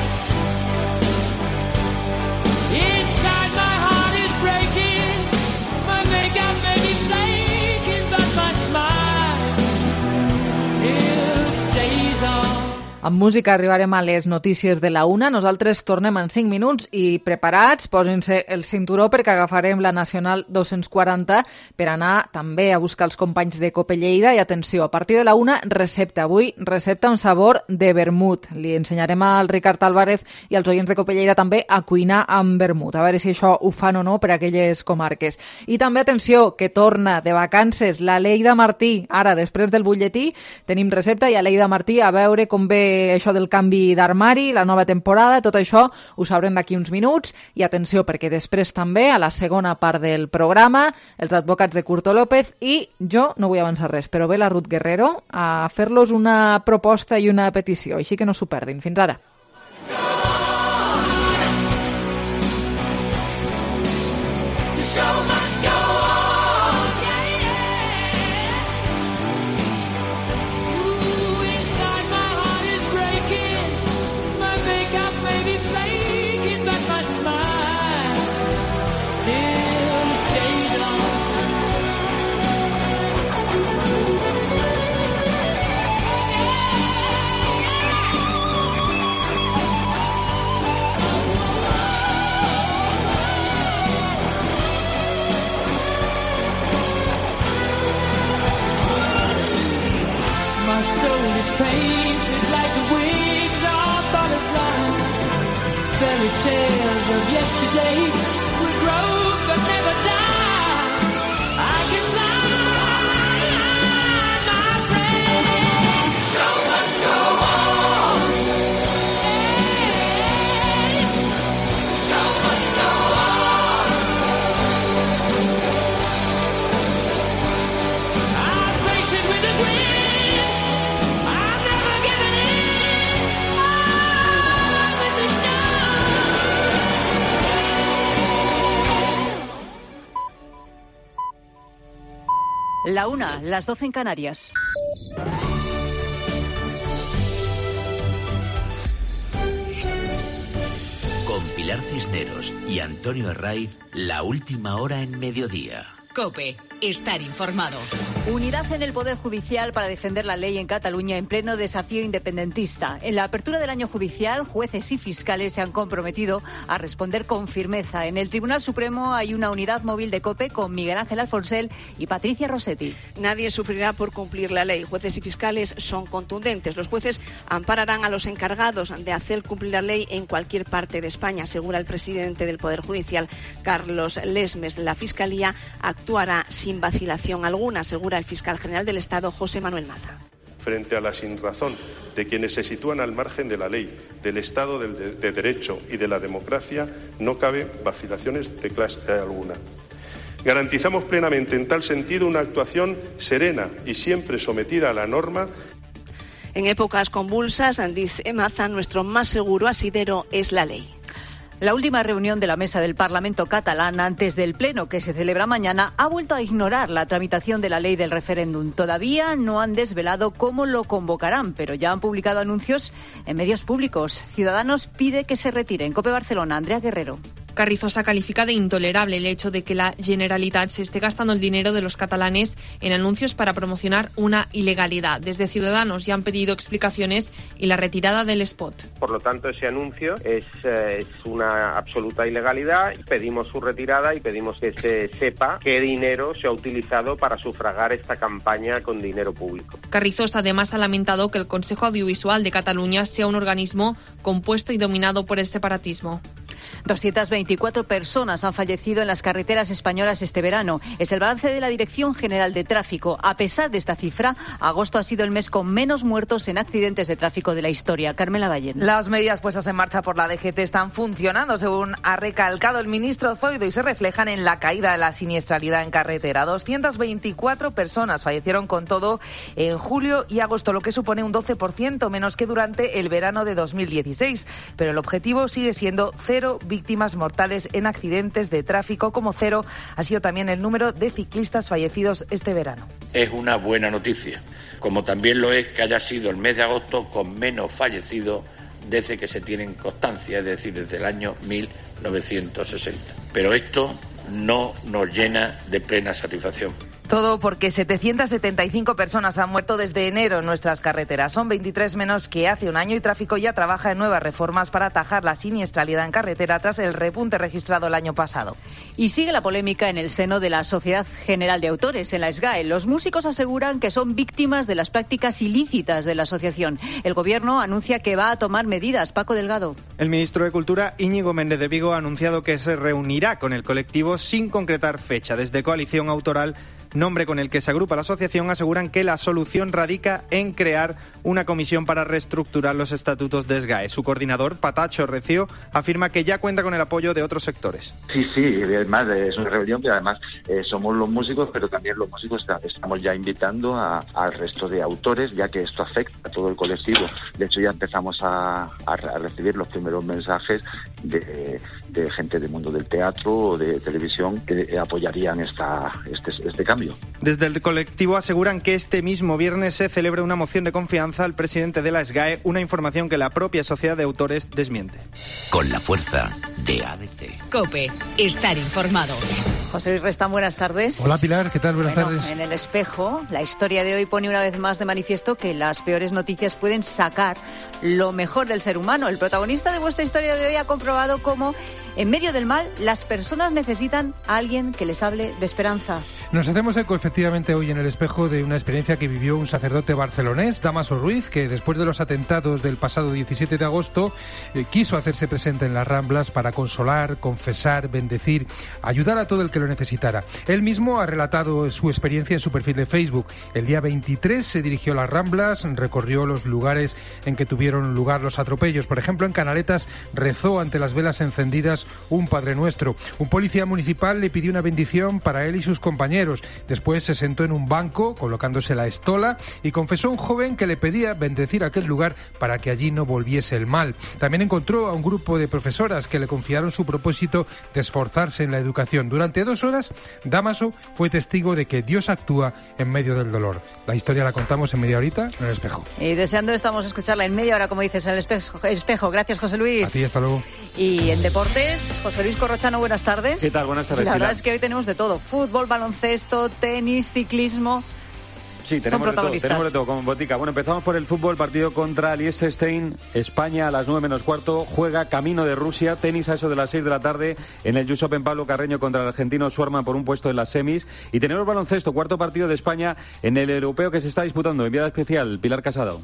Inside my heart is breaking. My makeup may be flaking, but my smile still stays on. Amb música arribarem a les notícies de la una. Nosaltres tornem en cinc minuts i preparats, posin-se el cinturó perquè agafarem la Nacional dos-cents quaranta per anar també a buscar els companys de Cope Lleida. I atenció, a partir de la una, recepta. Avui, recepta amb sabor de vermut. Li ensenyarem al Ricard Álvarez i als oients de Cope Lleida també a cuinar amb vermut. A veure si això ho fan o no per a aquelles comarques. I també, atenció, que torna de vacances la Leida Martí. Ara, després del butlletí, tenim recepta i a Leida Martí a veure com ve eh, això del canvi d'armari, la nova temporada, tot això ho sabrem d'aquí uns minuts. I atenció, perquè després també, a la segona part del programa, els advocats de Curto López, i jo no vull avançar res, però ve la Ruth Guerrero a fer-los una proposta i una petició, així que no s'ho perdin. Fins ara. So much go on, yeah, yeah. Ooh, inside my heart is breaking. My makeup may be flaking, but my smile still stays on. My soul is painted like the wings of butterflies. Fairy tales of yesterday will grow but never die. I can fly, my friend. So much go on. Hey, so much go on. I face it with a grin. La una, las doce en Canarias. Con Pilar Cisneros y Antonio Herraiz, la última hora en mediodía. COPE. Estar informado. Unidad en el Poder Judicial para defender la ley en Cataluña en pleno desafío independentista. En la apertura del año judicial, jueces y fiscales se han comprometido a responder con firmeza. En el Tribunal Supremo hay una unidad móvil de COPE con Miguel Ángel Alfonsel y Patricia Rossetti. Nadie sufrirá por cumplir la ley. Jueces y fiscales son contundentes. Los jueces ampararán a los encargados de hacer cumplir la ley en cualquier parte de España, asegura el presidente del Poder Judicial, Carlos Lesmes. La Fiscalía actuará sin vacilación alguna, asegura el fiscal general del Estado, José Manuel Maza. Frente a la sinrazón de quienes se sitúan al margen de la ley, del Estado de, de, de Derecho y de la democracia, no cabe vacilaciones de clase alguna. Garantizamos plenamente en tal sentido una actuación serena y siempre sometida a la norma. En épocas convulsas, dice Maza, nuestro más seguro asidero es la ley. La última reunión de la mesa del Parlamento catalán antes del pleno que se celebra mañana ha vuelto a ignorar la tramitación de la ley del referéndum. Todavía no han desvelado cómo lo convocarán, pero ya han publicado anuncios en medios públicos. Ciudadanos pide que se retiren. COPE Barcelona, Andrea Guerrero. Carrizosa califica de intolerable el hecho de que la Generalitat se esté gastando el dinero de los catalanes en anuncios para promocionar una ilegalidad. Desde Ciudadanos ya han pedido explicaciones y la retirada del spot. Por lo tanto, ese anuncio es, eh, es una absoluta ilegalidad. Pedimos su retirada y pedimos que se sepa qué dinero se ha utilizado para sufragar esta campaña con dinero público. Carrizosa además ha lamentado que el Consejo Audiovisual de Cataluña sea un organismo compuesto y dominado por el separatismo. doscientas veinticuatro personas han fallecido en las carreteras españolas este verano. Es el balance de la Dirección General de Tráfico. A pesar de esta cifra, agosto ha sido el mes con menos muertos en accidentes de tráfico de la historia. Carmela Ballén. Las medidas puestas en marcha por la D G T están funcionando, según ha recalcado el ministro Zoido, y se reflejan en la caída de la siniestralidad en carretera. doscientas veinticuatro personas fallecieron con todo en julio y agosto, lo que supone un doce por ciento menos que durante el verano de dos mil dieciséis. Pero el objetivo sigue siendo cero víctimas mortales en accidentes de tráfico, como cero ha sido también el número de ciclistas fallecidos este verano. Es una buena noticia, como también lo es que haya sido el mes de agosto con menos fallecidos desde que se tienen constancia, es decir, desde el año mil novecientos sesenta. Pero esto no nos llena de plena satisfacción. Todo porque setecientas setenta y cinco personas han muerto desde enero en nuestras carreteras. Son veintitrés menos que hace un año y Tráfico ya trabaja en nuevas reformas para atajar la siniestralidad en carretera tras el repunte registrado el año pasado. Y sigue la polémica en el seno de la Sociedad General de Autores, en la SGAE. Los músicos aseguran que son víctimas de las prácticas ilícitas de la asociación. El Gobierno anuncia que va a tomar medidas. Paco Delgado. El ministro de Cultura, Íñigo Méndez de Vigo, ha anunciado que se reunirá con el colectivo sin concretar fecha. Desde Coalición Autoral nombre con el que se agrupa la asociación, aseguran que la solución radica en crear una comisión para reestructurar los estatutos de S G A E. Su coordinador, Patacho Recio, afirma que ya cuenta con el apoyo de otros sectores. Sí, sí, además es una rebelión que además eh, somos los músicos, pero también los músicos está, estamos ya invitando a, al resto de autores, ya que esto afecta a todo el colectivo. De hecho, ya empezamos a, a, a recibir los primeros mensajes de, de gente del mundo del teatro o de televisión que apoyarían esta, este, este cambio. Desde el colectivo aseguran que este mismo viernes se celebra una moción de confianza al presidente de la S G A E, una información que la propia sociedad de autores desmiente. Con la fuerza de A D C. COPE. Estar informado. José Luis Restán, buenas tardes. Hola Pilar, ¿qué tal? Buenas bueno, tardes. En El Espejo, la historia de hoy pone una vez más de manifiesto que las peores noticias pueden sacar lo mejor del ser humano. El protagonista de vuestra historia de hoy ha comprobado cómo, en medio del mal, las personas necesitan a alguien que les hable de esperanza. Nos hacemos eco efectivamente hoy en El Espejo de una experiencia que vivió un sacerdote barcelonés, Dámaso Ruiz, que después de los atentados del pasado diecisiete de agosto eh, quiso hacerse presente en las Ramblas para consolar, confesar, bendecir, ayudar a todo el que lo necesitara. Él mismo ha relatado su experiencia en su perfil de Facebook. El día veintitrés se dirigió a las Ramblas, recorrió los lugares en que tuvieron lugar los atropellos. Por ejemplo, en Canaletas rezó ante las velas encendidas un Padre Nuestro. Un policía municipal le pidió una bendición para él y sus compañeros. Después se sentó en un banco, colocándose la estola, y confesó a un joven que le pedía bendecir aquel lugar para que allí no volviese el mal. También encontró a un grupo de profesoras que le confiaron su propósito de esforzarse en la educación. Durante dos horas, Dámaso fue testigo de que Dios actúa en medio del dolor. La historia la contamos en media horita en El Espejo. Y deseando estamos escucharla en media hora, como dices, en El Espejo. Espejo. Gracias, José Luis. A ti, hasta luego. Y en deportes, José Luis Corrochano, buenas tardes. ¿Qué tal? Buenas tardes. La verdad Pilar. es que hoy tenemos de todo: fútbol, baloncesto, tenis, ciclismo. Sí, tenemos de todo, tenemos de todo, como botica. Bueno, empezamos por el fútbol, partido contra Liechtenstein, España a las nueve menos cuarto, juega camino de Rusia, tenis a eso de las seis de la tarde, en el U S Open Pablo Carreño contra el argentino Schwarman por un puesto en las semis, y tenemos baloncesto, cuarto partido de España en el europeo que se está disputando, enviada especial, Pilar Casado.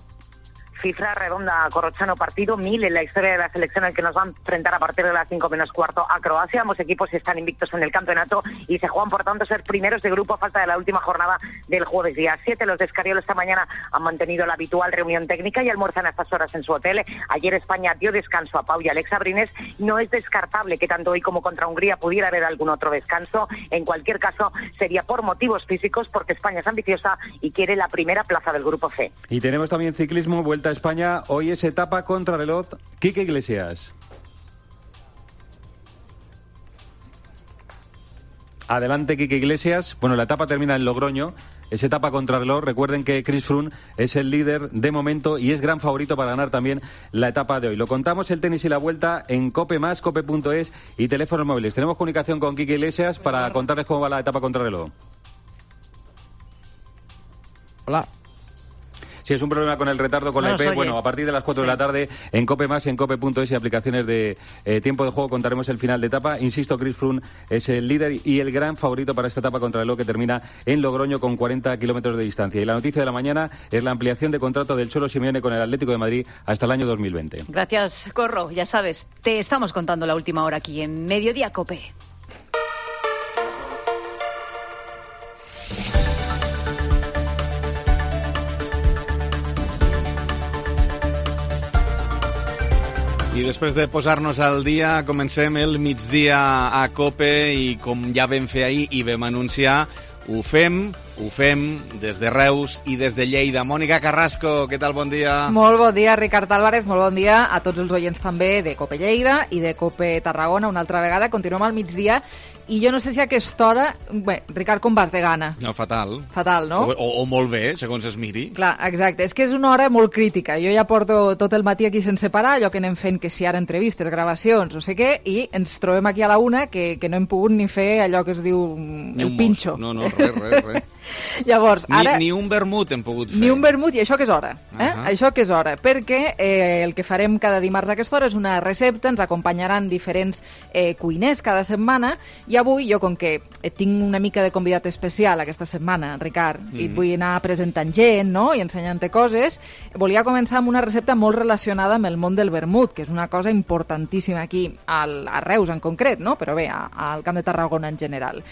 Cifra redonda, Corrochano, partido mil en la historia de la selección, en el que nos van a enfrentar a partir de las cinco menos cuarto a Croacia. Ambos equipos están invictos en el campeonato y se juegan, por tanto, ser primeros de grupo a falta de la última jornada del jueves día siete. Los de Escariolo esta mañana han mantenido la habitual reunión técnica y almuerzan a estas horas en su hotel. Ayer España dio descanso a Pau y Alex Abrines. No es descartable que tanto hoy como contra Hungría pudiera haber algún otro descanso. En cualquier caso, sería por motivos físicos, porque España es ambiciosa y quiere la primera plaza del grupo C. Y tenemos también ciclismo, Vuelta a España. Hoy es etapa contrarreloj. Quique Iglesias. Adelante, Quique Iglesias. Bueno, la etapa termina en Logroño. Es etapa contrarreloj. Recuerden que Chris Froome es el líder de momento y es gran favorito para ganar también la etapa de hoy. Lo contamos, el tenis y la vuelta, en Cope más, cope punto es y teléfonos móviles. Tenemos comunicación con Quique Iglesias para contarles cómo va la etapa contrarreloj. Hola. Si es un problema con el retardo con no la I P, oye. bueno, a partir de las cuatro Sí. de la tarde en Cope más y en cope punto es y aplicaciones de eh, tiempo de juego contaremos el final de etapa. Insisto, Chris Froome es el líder y el gran favorito para esta etapa contrarreloj que termina en Logroño con cuarenta kilómetros de distancia. Y la noticia de la mañana es la ampliación de contrato del Cholo Simeone con el Atlético de Madrid hasta el año dos mil veinte. Gracias, Corro. Ya sabes, te estamos contando la última hora aquí en Mediodía Cope. I després de posar-nos al dia, comencem el migdia a COPE i com ja vam fer ahir i vam anunciar, ho fem, ho fem des de Reus i des de Lleida. Mònica Carrasco, què tal? Bon dia. Molt bon dia, Ricard Álvarez, molt bon dia a tots els oients també de COPE Lleida i de COPE Tarragona. Una altra vegada, continuem al migdia i jo no sé si a aquesta hora... Bé, Ricard, com vas de gana? No, fatal. Fatal, no? O, o, o molt bé, segons es miri. Clar, exacte. És que és una hora molt crítica. Jo ja porto tot el matí aquí sense parar, allò que anem fent, que si ara entrevistes, gravacions, no sé què, i ens trobem aquí a la una que, que no hem pogut ni fer allò que es diu Ni el un pinxo. mos. No, no, res, res, res. Llavors, ara... Ni, ni un vermut hem pogut fer. Ni un vermut, i això que és hora. Eh? Uh -huh. Això que és hora, perquè eh, el que farem cada dimarts a aquesta hora és una recepta, ens acompanyaran diferents eh, cuiners cada setmana, i avui jo, com que tinc una mica de convidat especial aquesta setmana, Ricard, mm. i et vull anar presentant gent, no?, i ensenyant-te coses, volia començar amb una recepta molt relacionada amb el món del vermut, que és una cosa importantíssima aquí, al, a Reus en concret, no?, però bé, a, al Camp de Tarragona en general.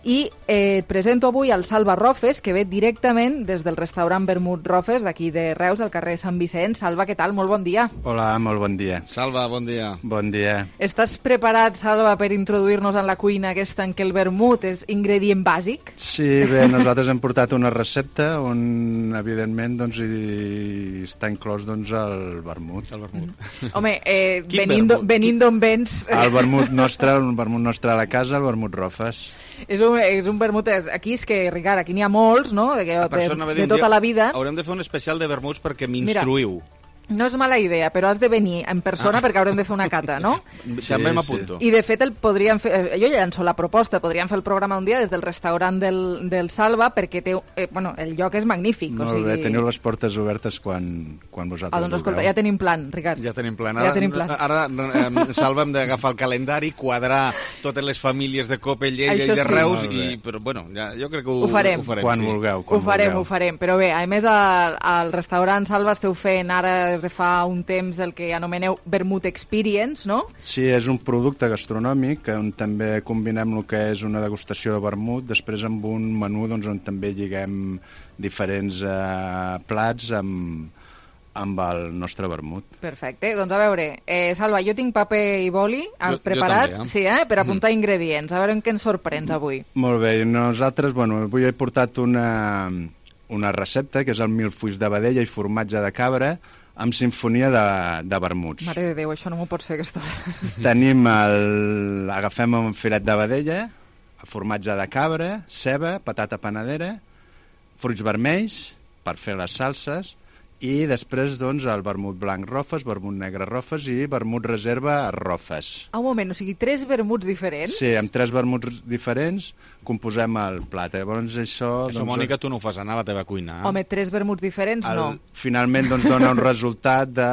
I eh, presento avui el Salva Rofes, que ve directament des del restaurant Vermut Rofes, d'aquí de Reus, al carrer Sant Vicent. Salva, què tal? Molt bon dia. Hola, molt bon dia. Salva, bon dia. Bon dia. Estàs preparat, Salva, per introduir-nos en la cuina aquesta en què el vermut és ingredient bàsic? Sí, bé, nosaltres hem portat una recepta on, evidentment, doncs, hi està inclòs doncs, el vermut. El vermut. Mm. Home, eh, venint, venint d'on vens... El vermut nostre, el vermut nostre a la casa, el vermut Rofes. És un, és un vermut... Aquí és que, Ricard, aquí n'hi ha molts, no?, de, de, de, de tota la vida. Haurem de fer un especial de vermuts perquè m'instruïu. No és mala idea, però has de venir en persona ah. perquè haurem de fer una cata, no? Sí, també m'apunto. I de fet el podríem fer, jo ja llanço la proposta, podríem fer el programa un dia des del restaurant del, del Salva perquè té, eh, bueno, el lloc és magnífic. Molt o sigui... bé, teniu les portes obertes quan, quan vosaltres ah, doncs, escolta, ja tenim plan, Ricard. Ja tenim plan. Ara, ja tenim plan. ara eh, Salva, hem d'agafar el calendari, quadrar totes les famílies de Cope, Lleida i de Reus, sí. i, però bueno, ja, jo crec que ho, ho farem. Ho farem quan sí. vulgueu. Quan ho farem, vulgueu. ho farem. Però bé, a més, al, al restaurant Salva esteu fent ara des de fa un temps el que anomeneu Vermut Experience, no? Sí, és un producte gastronòmic on també combinem el que és una degustació de vermut, després amb un menú doncs, on també lliguem diferents eh, plats amb, amb el nostre vermut. Perfecte, doncs a veure, eh, Salva, jo tinc paper i boli jo, preparat jo també, eh? Sí, eh? per apuntar mm. ingredients, a veure en què ens sorprens avui. Molt bé, nosaltres, bueno, avui he portat una, una recepta que és el milfuix de vedella i formatge de cabra amb sinfonia de, de vermuts. Mare de Déu, això no m'ho pots fer aquesta hora. Tenim el... agafem un filet de vedella, formatge de cabra, ceba, patata panadera, fruits vermells per fer les salses i després doncs el vermut blanc Rofes, vermut negre Rofes i vermut reserva Rofes. Ah, un moment, o sigui, tres vermuts diferents? Sí, amb tres vermuts diferents composem el plat. Llavors això... Això, doncs, Mònica, tu no ho fas anar a la teva cuina. Eh? Home, tres vermuts diferents, el, no. Finalment doncs dona un resultat de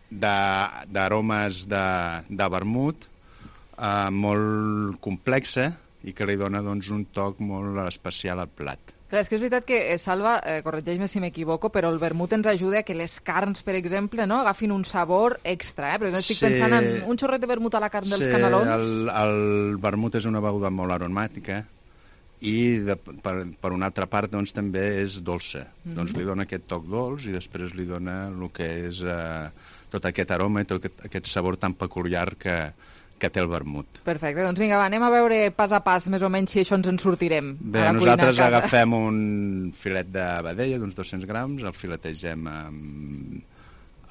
d'aromes de, de, de vermut eh, molt complexa i que li dona doncs un toc molt especial al plat. Clar, és que és veritat que, eh, Salva, eh, corregeix-me si m'equivoco, però el vermut ens ajuda a que les carns, per exemple, no, agafin un sabor extra, eh? Perquè no estic sí. pensant en un xorret de vermut a la carn dels sí, canelons. El, el vermut és una beguda molt aromàtica i de, per, per una altra part doncs, també és dolça. Mm-hmm. Doncs li dona aquest toc dolç i després li dona el que és eh, tot aquest aroma i tot aquest, aquest sabor tan peculiar que que té el vermut. Perfecte, doncs vinga, va, anem a veure pas a pas més o menys si això ens en sortirem. Bé, nosaltres agafem un filet de vedella d'uns dos-cents grams, el filetegem amb,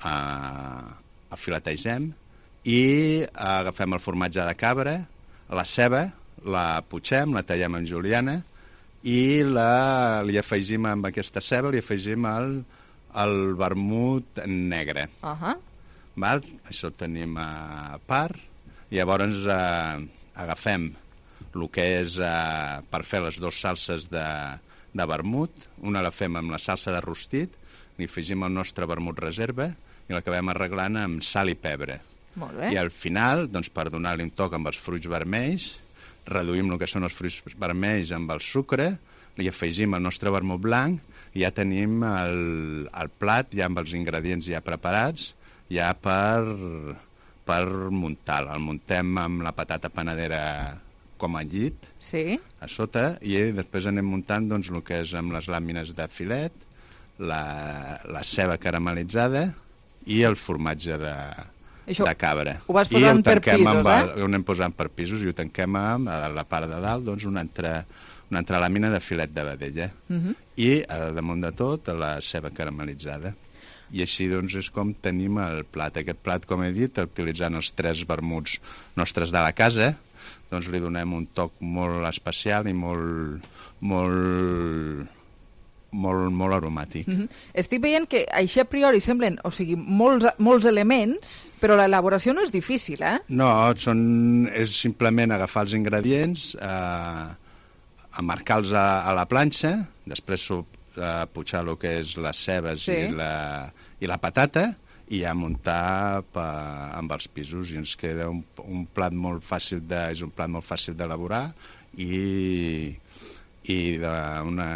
a, el filetegem i agafem el formatge de cabra, la ceba, la putxem, la tallem en juliana i la, li afegim amb aquesta ceba, li afegim el, el vermut negre. Uh-huh. Val? Això ho tenim a part. I llavors eh, agafem el que és eh, per fer les dues salses de, de vermut. Una la fem amb la salsa de rostit, li afegim el nostre vermut reserva i l'acabem arreglant amb sal i pebre. Molt bé. I al final, doncs, per donar-li un toc amb els fruits vermells, reduïm el que són els fruits vermells amb el sucre, li afegim el nostre vermut blanc i ja tenim el, el plat ja amb els ingredients ja preparats, ja per... per muntar. El muntem amb la patata panadera com a llit, sí. a sota, i després anem muntant doncs, el que és amb les làmines de filet, la, la ceba caramelitzada i el formatge de, Això de cabra. Ho vas posant per pisos, amb el, eh? Ho anem posant per pisos i ho tanquem amb a la part de dalt, doncs, una altra, una altra làmina de filet de vedella. Uh-huh. I a damunt de tot la ceba caramelitzada. I així doncs és com tenim el plat. Aquest plat, com he dit, utilitzant els tres vermuts nostres de la casa, doncs li donem un toc molt especial i molt, molt, molt, molt aromàtic. Mm-hmm. Estic veient que així a priori semblen, o sigui, molts, molts elements, però l'elaboració no és difícil, eh? No, són, és simplement agafar els ingredients, eh, marcar-los a, a la planxa, després a pujar el que és les cebes sí. i, la, i la patata i a muntar pa, amb els pisos i ens queda un, un plat molt fàcil de, és un plat molt fàcil d'elaborar i, i d'una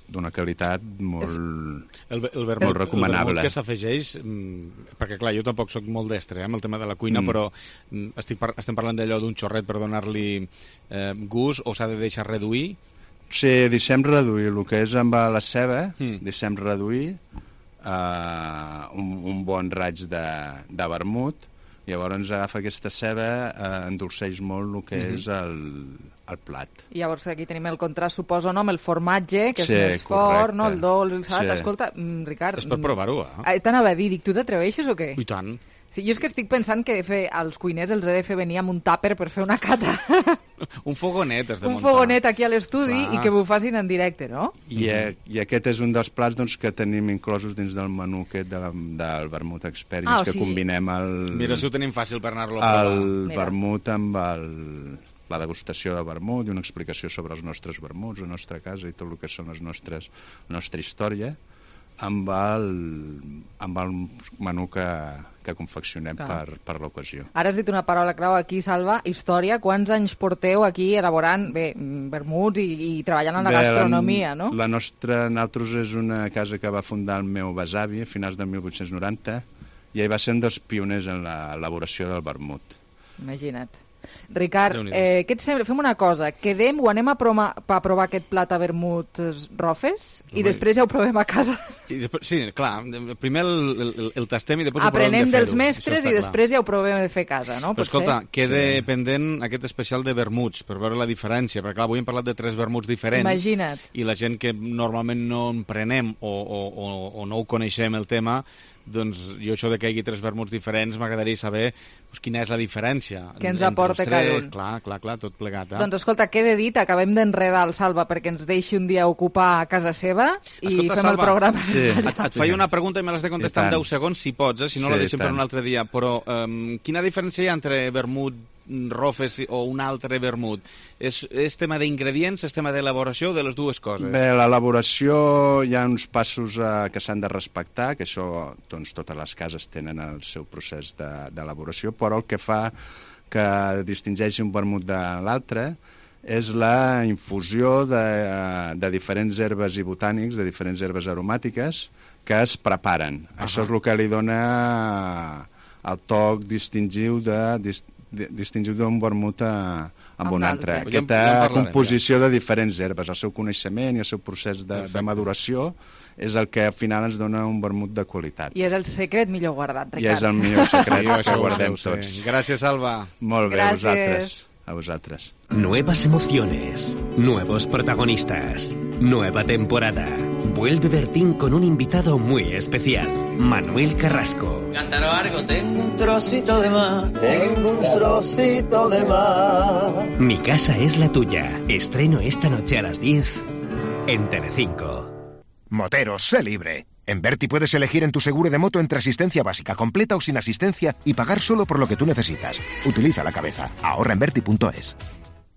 d'una qualitat molt, el, el vermut, molt recomanable. El vermut que s'afegeix, perquè clar, jo tampoc sóc molt destre eh, amb el tema de la cuina, mm. però estic par estem parlant d'allò d'un xorret per donar-li eh, gust, o s'ha de deixar reduir? Sí, deixem reduir el que és amb la ceba, mm. deixem reduir eh, un, un bon raig de, de vermut. Llavors agafa aquesta ceba, eh, endolceix molt el que mm-hmm. és el, el plat. I llavors aquí tenim el contrast, suposo, no? Amb el formatge, que sí, és més correcte. fort, no? El dolç, el salat. Sí. Escolta, Ricard... És per provar-ho, eh? T'anava a dir, dic, tu t'atreveixes o què? I tant. Sí, jo és que estic pensant que fer als cuiners els he de fer venir amb un tàper per fer una cata. Un fogonet has de un muntar. Un fogonet aquí a l'estudi i que m'ho facin en directe, no? I, mm-hmm. I aquest és un dels plats doncs, que tenim inclosos dins del menú aquest de la, del vermut experience, ah, o sigui... que combinem el... Mira, si ho tenim fàcil per anar-lo a provar. El vermut amb el, la degustació de vermut i una explicació sobre els nostres vermuts, la nostra casa i tot el que són les nostres, la nostra història, amb el, amb el menú que, que confeccionem per, per l'ocasió. Ara has dit una paraula clau aquí, Salva, història. Quants anys porteu aquí elaborant bé, vermuts i, i treballant en la bé, gastronomia, la, no? La nostra, nosaltres, és una casa que va fundar el meu besavi a finals de mil vuit-cents noranta i ell va ser un dels pioners en l'elaboració del vermut. Imagina't. Ricard, eh, què et sembla? Fem una cosa, quedem o anem a, proma, a provar aquest plat a vermut Rofes i després ja ho provem a casa. I després, sí, clar, primer el, el, el tastem i després aprenem ho provem de fer-ho. Dels mestres i després ja ho provem de fer a casa, no? Però escolta, queda sí. pendent aquest especial de vermuts per veure la diferència, perquè clar, avui hem parlat de tres vermuts diferents. Imagina't. I la gent que normalment no en prenem o, o, o, o no ho coneixem el tema, doncs jo això de que hi hagi tres vermuts diferents m'agradaria saber doncs, quina és la diferència. Que ens aporta cada un. Clar, clar, clar, tot plegat. Eh? Doncs escolta, queda dit, acabem d'enredar el Salva perquè ens deixi un dia ocupar a casa seva i escolta, fem Salva, el programa. Sí. Et, et faig una pregunta i me l'has de contestar en deu segons, si pots, eh? Si no sí, la deixem per un altre dia. Però um, quina diferència hi ha entre vermut Rofes o un altre vermut? És, és tema d'ingredients, és tema d'elaboració, de les dues coses? Bé, l'elaboració hi ha uns passos eh, que s'han de respectar, que això doncs, totes les cases tenen el seu procés d'elaboració, de, però el que fa que distingeixi un vermut de l'altre és la infusió de, de diferents herbes i botànics, de diferents herbes aromàtiques que es preparen. Uh-huh. Això és el que li dona el toc distingiu de... Dist distingir d'un vermut a, amb un altre. Aquesta ja, ja composició ja. de diferents herbes, el seu coneixement i el seu procés de, de maduració és el que al final ens dona un vermut de qualitat. I és el secret millor guardat, Ricard. I és el millor secret que guardem tots. Gràcies, Alba. Molt bé, Gràcies. a vosaltres. A vosotros. Nuevas emociones, nuevos protagonistas, nueva temporada. Vuelve Bertín con un invitado muy especial, Manuel Carrasco. Cantaros algo, tengo un trocito de mar, tengo un trocito de mar. Mi casa es la tuya. Estreno esta noche a las diez en Telecinco. Moteros, sé libre. En Berti puedes elegir en tu seguro de moto entre asistencia básica, completa o sin asistencia y pagar solo por lo que tú necesitas. Utiliza la cabeza. Ahorra en Berti punto es.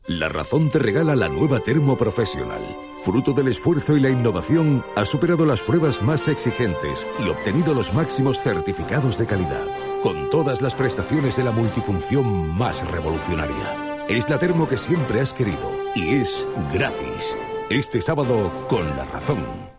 La Razón te regala la nueva Termo Professional. Fruto del esfuerzo y la innovación, ha superado las pruebas más exigentes y obtenido los máximos certificados de calidad, con todas las prestaciones de la multifunción más revolucionaria. Es la termo que siempre has querido y es gratis. Este sábado, con La Razón.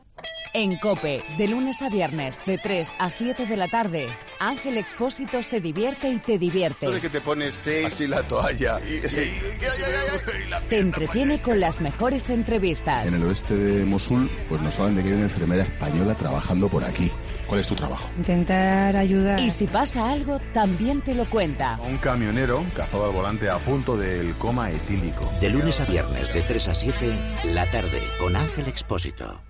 En COPE, de lunes a viernes, de tres a siete de la tarde, Ángel Expósito se divierte y te divierte. Esto de que te pones sí. así la toalla y, y, y, y, y la te entretiene con las mejores entrevistas. En el oeste de Mosul, pues nos hablan de que hay una enfermera española trabajando por aquí. ¿Cuál es tu trabajo? Intentar ayudar. Y si pasa algo, también te lo cuenta. Un camionero cazado al volante a punto del coma etílico. De lunes a viernes, de tres a siete, la tarde, con Ángel Expósito.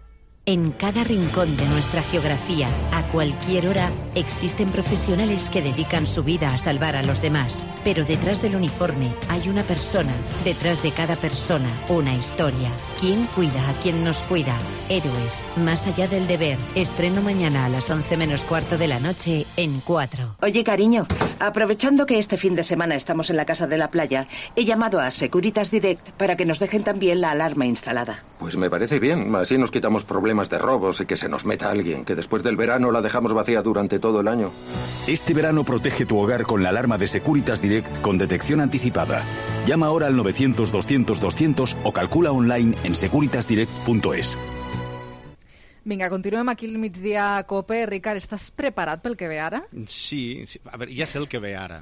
En cada rincón de nuestra geografía, a cualquier hora, existen profesionales que dedican su vida a salvar a los demás. Pero detrás del uniforme hay una persona. Detrás de cada persona, una historia. ¿Quién cuida a quien nos cuida? Héroes, más allá del deber. Estreno mañana a las once menos cuarto de la noche en cuatro. Oye, cariño, aprovechando que este fin de semana estamos en la casa de la playa, he llamado a Securitas Direct para que nos dejen también la alarma instalada. Pues me parece bien, así nos quitamos problemas de robos y que se nos meta alguien, que después del verano la dejamos vacía durante todo el año. Este verano protege tu hogar con la alarma de Securitas Direct con detección anticipada. Llama ahora al novecientos doscientos doscientos o calcula online en securitas direct punto es. Vinga, continuem aquí al migdia a COPE. Ricard, estàs preparat pel que ve ara? Sí, sí. A veure, ja sé el que ve ara.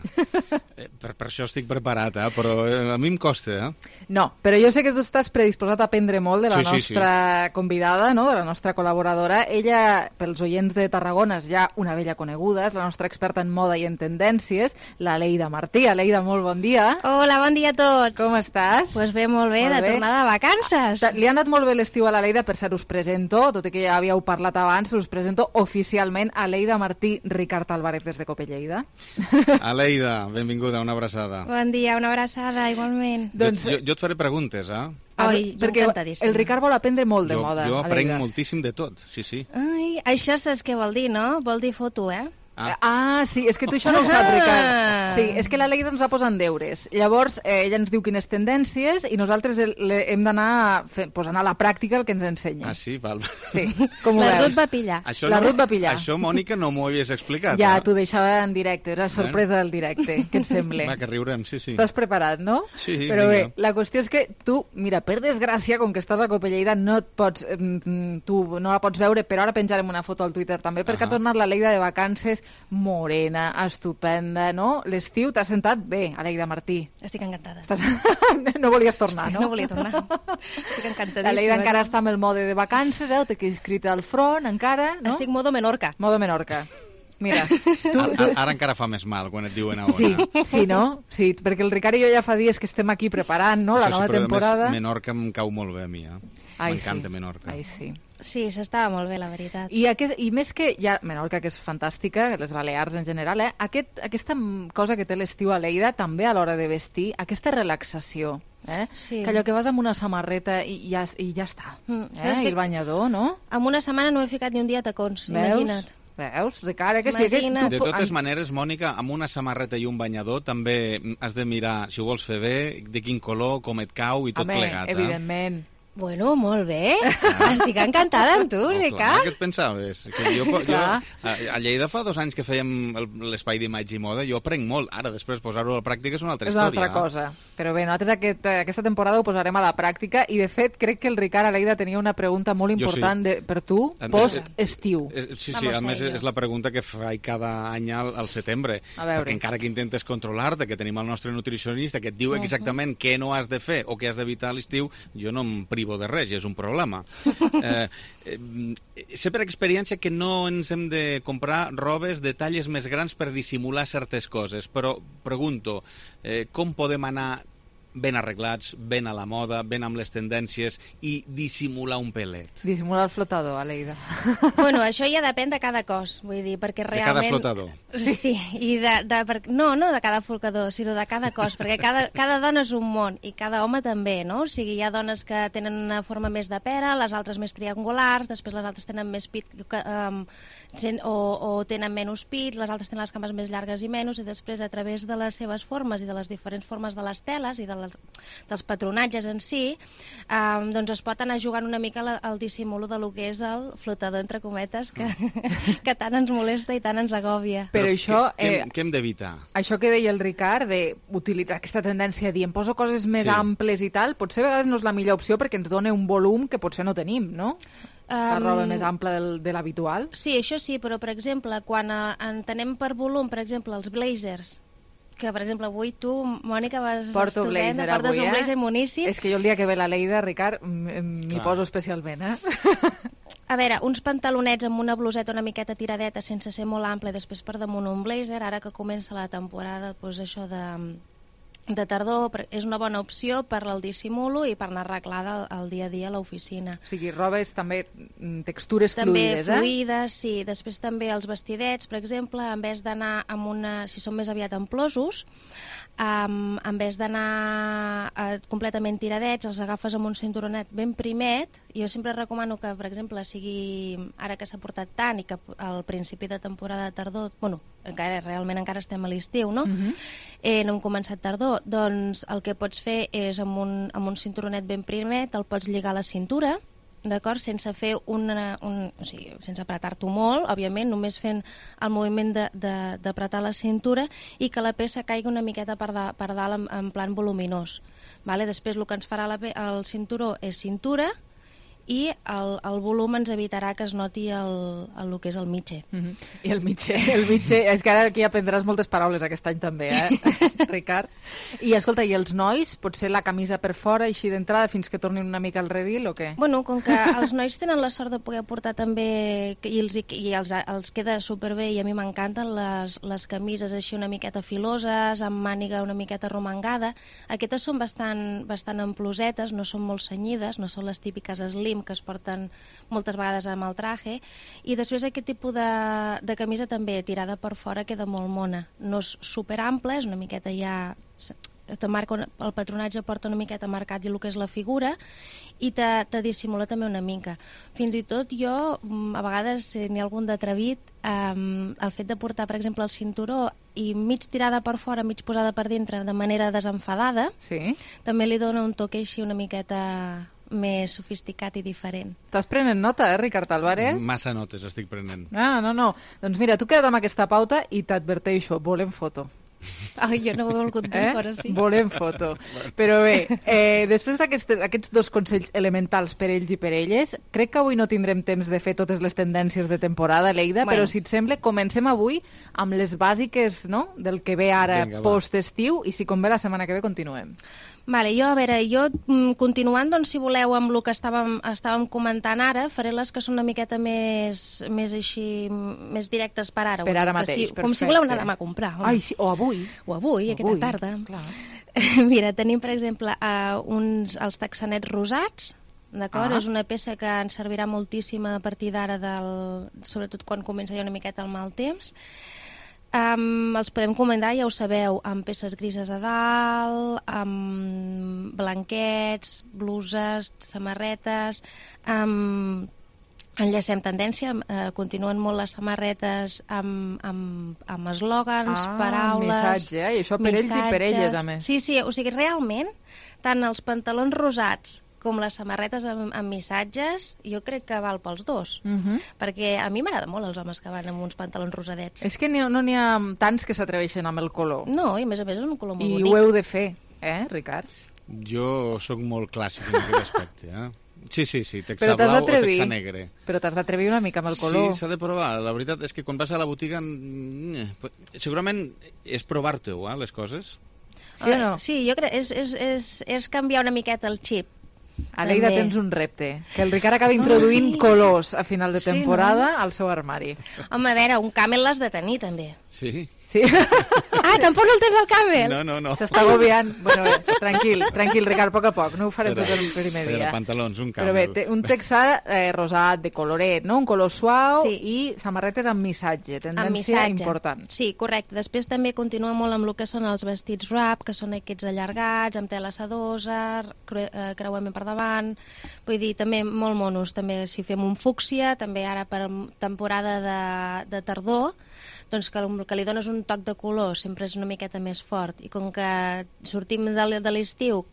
eh, per, per això estic preparat, eh? Però eh, a mi em costa, eh? No, però jo sé que tu estàs predisposat a aprendre molt de la sí, sí, nostra sí. convidada, no? De la nostra col·laboradora. Ella, pels oients de Tarragona, és ja una vella coneguda, és la nostra experta en moda i en tendències, la Leida Martí. Leida, molt bon dia. Hola, bon dia a tots. Com estàs? Pues bé, molt bé, molt de bé. Tornada de vacances. Li ha anat molt bé l'estiu a la Leida, per cert, us presento, tot i que ja havíeu parlat abans, però us presento oficialment a Leida Martí, Ricard Álvarez des de COPE Lleida. Aleida, benvinguda, una abraçada. Bon dia, una abraçada, igualment. Doncs... Jo, jo et faré preguntes, eh? Ai, perquè el Ricard vol aprendre molt de jo, moda. Jo aprenc moltíssim de tot, sí, sí. Ai, això saps què vol dir, no? Vol dir foto, eh? Ah. ah, sí, és que tu això no ho saps, Ricard. Sí, és que la Leida ens va posant deures. Llavors, eh, ella ens diu quines tendències i nosaltres el, le, hem d'anar posant a la pràctica el que ens ensenya. Ah, sí? Val. Sí, com ho la veus? Ruth va pillar. Això la no, Ruth va pillar. Això, Mònica, no m'ho havies explicat. Ja, eh? t'ho deixava en directe, era sorpresa del directe. Què et sembla? Va, que riurem, sí, sí. Estàs preparat, no? Sí, però vinga. Bé, la qüestió és que tu, mira, per desgràcia, com que estàs a COPE Lleida, no et pots, tu no la pots veure, però ara penjarem una foto al Twitter també, perquè uh -huh. ha tornat la Leida de vacances morena, estupenda, no? L'estiu t'ha sentat bé, Aleida Martí. Estic encantada. Estàs... no volies tornar, Estic, no? No volia tornar. Estic encantadíssima. L'Aleida encara està amb el mode de vacances, eh? Ho té inscrit al front, encara, no? Estic modo Menorca. Modo Menorca. Mira, tu, ara, ara encara fa més mal quan et diuen a on. Sí, sí, no? Sí, perquè el Ricard i jo ja fa dies que estem aquí preparant, no?, la Això nova sí, però temporada. Més, Menorca em cau molt bé a mi, eh? M'encanta sí. Menorca. Ai, sí. Sí, s'estava molt bé, la veritat. I, aquest, I més que ja, Menorca, que és fantàstica, les Balears en general, eh? Aquest, aquesta cosa que té l'estiu a Lleida, també a l'hora de vestir, aquesta relaxació, eh? Sí. Que allò que vas amb una samarreta i ja, i ja està. Mm. Eh? I el banyador, no? En una setmana no he ficat ni un dia a tacons, Veus? imagina't. Veus, Ricard, eh, que sí, que tu... De totes maneres, Mònica, amb una samarreta i un banyador també has de mirar, si ho vols fer bé, de quin color, com et cau i tot Home, plegat. Eh? Evidentment. Bueno, molt bé. Ah. Estic encantada amb tu, oh, Ricard. Què et pensaves? Que jo, jo, a, a Lleida fa dos anys que fèiem l'espai d'imatge i moda, jo aprenc molt. Ara, després posar-ho a la pràctica és una altra és història. És una altra cosa. Però bé, nosaltres aquest, aquesta temporada ho posarem a la pràctica i, de fet, crec que el Ricard a Lleida tenia una pregunta molt important sí. de, per tu, post-estiu. Sí, sí, a més és la pregunta que faig cada any al, al setembre. Perquè encara que intentes controlar-te, que tenim el nostre nutricionista que et diu exactament uh -huh. què no has de fer o què has d'evitar a l'estiu, jo no em privo de res, i és un problema. Eh, eh, sé per experiència que no ens hem de comprar robes de talles més grans per dissimular certes coses, però pregunto, eh, com podem anar ben arreglats, ben a la moda, ben amb les tendències i dissimular un pelet? Dissimular el flotador, Aleida. Bueno, això ja depèn de cada cos, vull dir, perquè realment... De cada flotador? Sí, sí, i de, de, per... no, no de cada flotador, sinó de cada cos, perquè cada, cada dona és un món, i cada home també, no? O sigui, hi ha dones que tenen una forma més de pera, les altres més triangulars, després les altres tenen més pit que, um, o, o tenen menys pit, les altres tenen les cames més llargues i menys, i després a través de les seves formes i de les diferents formes de les teles i de les, dels patronatges en si, eh, doncs es pot anar jugant una mica al, al dissimulo de lo que és el flotador, entre cometes, que, que tant ens molesta i tant ens agòbia. Però, Però això... Què, eh, què hem d'evitar? Això que deia el Ricard, d'utilitzar aquesta tendència de dir em poso coses més sí. amples i tal, potser a vegades no és la millor opció perquè ens dona un volum que potser no tenim, no? La roba um, més ampla del, de l'habitual. Sí, això sí, però per exemple, quan uh, entenem per volum, per exemple, els blazers, que per exemple avui tu, Mònica, vas Porto estupenda, blazer portes avui, un eh? blazer moníssim. És que jo el dia que ve la Leida, Ricard, m'hi poso especialment, eh? A veure, uns pantalonets amb una bluseta una miqueta tiradeta sense ser molt ample, després per damunt un blazer, ara que comença la temporada, doncs això de... de tardor és una bona opció per al dissimulo i per anar arreglada el dia a dia a l'oficina. O sigui, robes també textures també fluides, eh? També fluides, sí. Després també els vestidets, per exemple, en vez d'anar amb una... si són més aviat amplosos, um, en vez d'anar uh, completament tiradets, els agafes amb un cinturonet ben primet. Jo sempre recomano que, per exemple, sigui ara que s'ha portat tant i que al principi de temporada de tardor, bueno, encara realment encara estem a l'estiu, no? Uh-huh. eh, no hem començat tardor, doncs el que pots fer és amb un, amb un cinturonet ben primet, el pots lligar a la cintura, d'acord, sense fer una, un, o sigui, sense apretar-t'ho molt, òbviament, només fent el moviment d'apretar la cintura i que la peça caigui una miqueta per, da, per dalt en, en plan voluminós. Vale? Després el que ens farà la, el cinturó és cintura i el, el volum ens evitarà que es noti el, el, el que és el mitge. Mm-hmm. I el mitge, el mitge, és que ara aquí aprendràs moltes paraules aquest any també, eh, Ricard? I escolta, i els nois, potser la camisa per fora, així d'entrada, fins que tornin una mica al redil o què? Bueno, com que els nois tenen la sort de poder portar també, i els, i els, els queda superbé, i a mi m'encanten les, les camises així una miqueta filoses, amb màniga una miqueta romangada. Aquestes són bastant, bastant amplosetes, no són molt cenyides, no són les típiques slim que es porten moltes vegades amb el traje, i després aquest tipus de, de camisa també tirada per fora queda molt mona. No és superample, és una miqueta ja... Te marca, el patronatge porta una miqueta marcat i el que és la figura, i te, te dissimula també una mica. Fins i tot jo, a vegades, si n'hi ha algun d'atrevit, um, el fet de portar, per exemple, el cinturó i mig tirada per fora, mig posada per dintre, de manera desenfadada, sí, també li dona un toque així una miqueta més sofisticat i diferent. Estàs prenent nota, eh, Ricard Álvarez? Massa notes estic prenent. Ah, no, no. Doncs mira, tu queda't amb aquesta pauta i t'adverteixo, volem foto. Ai, jo no ho he volgut dir, eh? però sí. Volem foto. Però bé, eh, després d'aquests dos consells elementals per ells i per elles, crec que avui no tindrem temps de fer totes les tendències de temporada, Leida, bueno. Però si et sembla, comencem avui amb les bàsiques, no?, del que ve ara post-estiu, i si convé la setmana que ve continuem. Vale, jo, a veure, jo continuant, doncs, si voleu, amb el que estàvem, estàvem comentant ara, faré les que són una miqueta més, més així, més directes per ara. Per ara mateix, si, perfecte. Com si voleu anar demà a comprar. Home. Ai, sí, o avui. O avui, o aquesta avui, tarda. Clar. Mira, tenim, per exemple, uh, uns, els texanets rosats, d'acord? Ah. És una peça que ens servirà moltíssim a partir d'ara, sobretot quan comença ja una miqueta el mal temps. Um, els podem comandar, ja ho sabeu, amb peces grises a dalt, amb blanquets, bluses, samarretes. Um, enllacem tendència, uh, continuen molt les samarretes amb, amb, amb eslògans, ah, paraules... missatge, eh? I això per missatges. Ells i per elles, a més. Sí, sí, o sigui, realment, tant els pantalons rosats com les samarretes amb, amb missatges, jo crec que val pels dos. Uh-huh. Perquè a mi m'agrada molt els homes que van amb uns pantalons rosadets. És que no n'hi ha tants que s'atreveixen amb el color. No, i a més a més és un color molt I bonic. I ho heu de fer, eh, Ricard? Jo sóc molt clàssic en aquest aspecte, eh? Sí, sí, sí, texa blau o texa negre. Però t'has d'atrevir una mica amb el color. Sí, s'ha de provar. La veritat és que quan vas a la botiga, segurament és provar-te-ho, eh, les coses. Sí o no? Sí, jo crec, és, és, és, és canviar una miqueta el xip. A Leida tens un repte, que el Ricard acabi introduint Ai. colors a final de temporada sí, no? al seu armari. Home, a veure, un camel l'has de tenir, també. Sí. Sí. Ah, tampoc no el tens al camel? No, no, no. S'està agobiant. Bueno, bé, tranquil, tranquil, Ricard, a poc a poc. No ho farem però, tot el primer dia. Però pantalons, un camel. Però bé, té un texà eh, rosat, de coloret, no? Un color suau sí. I samarretes amb missatge, tendència amb missatge. Important. Sí, correcte. Després també continua molt amb el que són els vestits wrap, que són aquests allargats, amb tela sedosa, creuament per davant. Vull dir, també molt monos. També si fem un fúcsia, també ara per temporada de, de tardor, doncs que, que li dones un toc de color sempre és una miqueta més fort, i com que sortim de, de l'estiu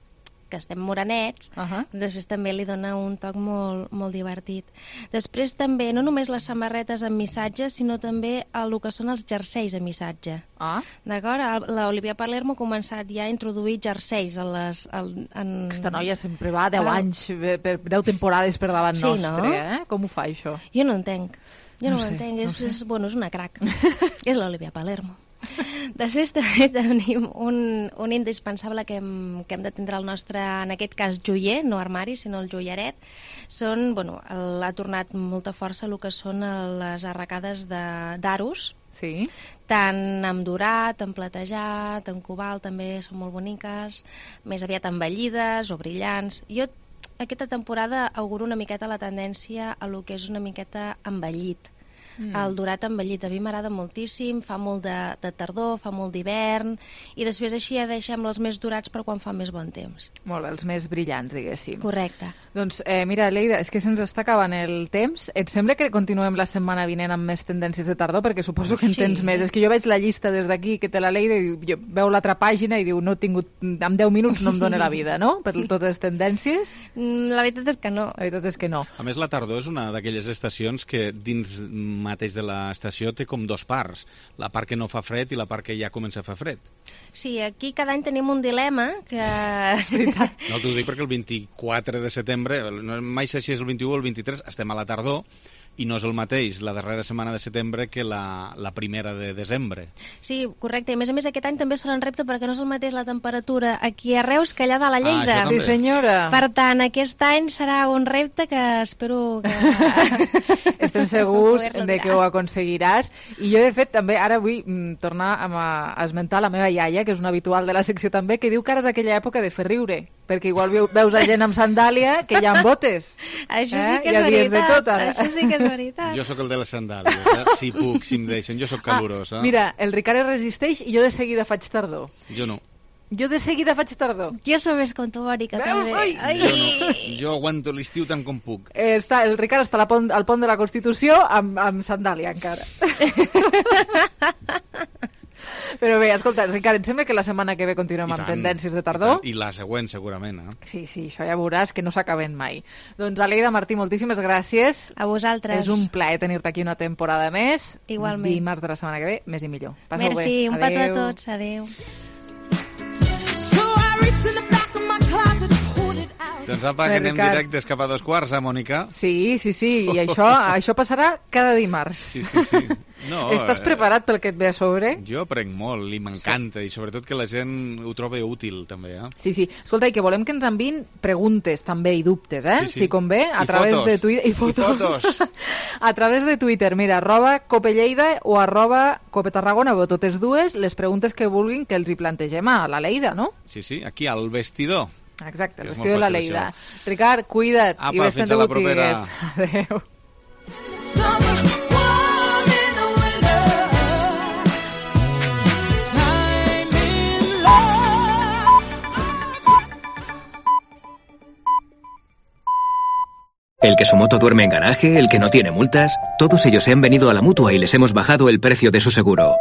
que estem morenets, uh-huh. després també li dona un toc molt, molt divertit. Després també, no només les samarretes amb missatge, sinó també el que són els jerseis amb missatge. Ah. D'acord? L'Olivia Palermo ha començat ja a introduir jerseis a les... En... Aquesta noia sempre va deu ah. anys, per deu temporades per davant sí, nostre, no? eh? Com ho fa, això? Jo no entenc. Jo no, no ho sé, entenc, no és, sé. és, bueno, és una crac. És l'Olivia Palermo. Després també tenim un, un indispensable que hem, que hem de tindre el nostre, en aquest cas, joier, no armari, sinó el joieret. Són, bueno, el, ha tornat molta força el que són les arracades d'arus, sí. Tant amb dorat, amb platejat, amb cobalt, també són molt boniques, més aviat embellides o brillants. Jo aquesta temporada auguro una miqueta la tendència a lo que és una miqueta embellit. Mm. El dorat embellit a mi m'agrada moltíssim, fa molt de, de tardor, fa molt d'hivern, i després així ja deixem els més dorats per quan fa més bon temps. Molt bé, els més brillants, diguéssim. Correcte. Doncs eh, mira, Leida, és que se'ns està acabant el temps. Et sembla que continuem la setmana vinent amb més tendències de tardor? Perquè suposo que en sí. tens més. És que jo veig la llista des d'aquí que té la Leida i jo veu l'altra pàgina i diu, no he tingut, en deu minuts no em dóna la vida, no? Per totes les tendències. La veritat és que no. La veritat és que no. A més, la tardor és una d'aquelles estacions que dins mateix de l'estació té com dos parts, la part que no fa fred i la part que ja comença a fer fred. Sí, aquí cada any tenim un dilema que... No, t'ho dic perquè el vint-i-quatre de setembre, mai sé si és el vint-i-u o el vint-i-tres, estem a la tardor, i no és el mateix la darrera setmana de setembre que la, la primera de desembre. Sí, correcte. I a més a més aquest any també serà un repte perquè no és el mateix la temperatura aquí a Reus que allà dalt a Lleida. Ah, sí, senyora. Per tant, aquest any serà un repte que espero que... Estem segurs de que ho aconseguiràs. I jo, de fet, també ara vull mm, tornar a, a esmentar la meva iaia, que és una habitual de la secció també, que diu que ara és aquella època de fer riure, perquè igual veus a gent amb sandàlia que hi ha botes. Això eh? sí que és ja veritat. De tot, ara. Això sí que és veritat. Jo sóc el de les sandàlies, eh? Si puc, si em deixen. Jo sóc calorós. Eh? Ah, mira, el Ricard es resisteix i jo de seguida faig tardor. Jo no. Jo de seguida faig tardor. Jo sóc més com tu, Mònica, també. Ai. Ai. Jo no. Jo aguanto l'estiu tant com puc. Eh, està, el Ricard està a la pont, al pont de la Constitució amb, amb sandàlia encara. Però bé, escolta, Ricard, em sembla que la setmana que ve continuem amb tendències de tardor. I, I la següent, segurament. Eh? Sí, sí, això ja veuràs que no s'acaben mai. Doncs, Aleida, Martí, moltíssimes gràcies. A vosaltres. És un plaer tenir-te aquí una temporada més. Igualment. Dimarts de la setmana que ve, més i millor. Passeu Merci, bé. un petó a tots. Adéu. Doncs apa, que anem directes cap a dos quarts, eh, Mònica? Sí, sí, sí, i això, això passarà cada dimarts. Sí, sí, sí. No, Estàs preparat pel que et ve a sobre? Jo aprenc molt i m'encanta, sí. I sobretot que la gent ho trobi útil, també. Eh? Sí, sí. Escolta, i que volem que ens enviïn preguntes, també, i dubtes, eh? Sí, sí. Si convé, a I través fotos. de Twitter... I fotos. I fotos. A través de Twitter, mira, arroba copelleida o arroba copetarragona, o totes dues, les preguntes que vulguin que els hi plantegem a la Leida, no? Sí, sí, aquí al vestidor. Exacte, el vestidor de la Leida. Això. Ricard, cuida't. Apa, i fins a la propera. Adéu. El que su moto duerme en garaje, el que no tiene multas, todos ellos se han venido a la Mutua y les hemos bajado el precio de su seguro.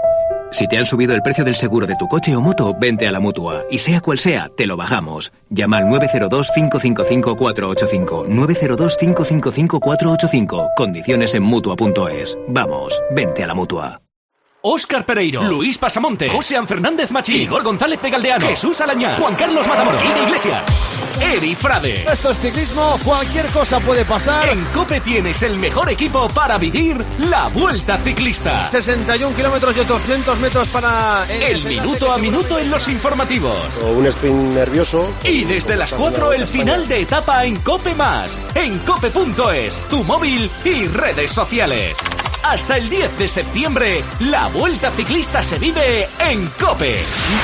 Si te han subido el precio del seguro de tu coche o moto, vente a la Mutua. Y sea cual sea, te lo bajamos. Llama al nueve cero dos, cinco cinco cinco, cuatro ocho cinco. nueve cero dos, cinco cinco cinco, cuatro ocho cinco. Condiciones en Mutua punto es. Vamos, vente a la Mutua. Óscar Pereiro, Luis Pasamonte, José Fernández Machín, Igor González de Galdeano, Jesús Alañá, Juan Carlos Matamoros, Ida Iglesias, Eri Frade. Esto es ciclismo, cualquier cosa puede pasar. En COPE tienes el mejor equipo para vivir la Vuelta Ciclista. sesenta y un kilómetros y doscientos metros para... El, el minuto a minuto en los informativos. O un sprint nervioso. Y desde las cuatro el final de etapa en COPE más. En cope punto es, tu móvil y redes sociales. Hasta el diez de septiembre, la Vuelta Ciclista se vive en COPE.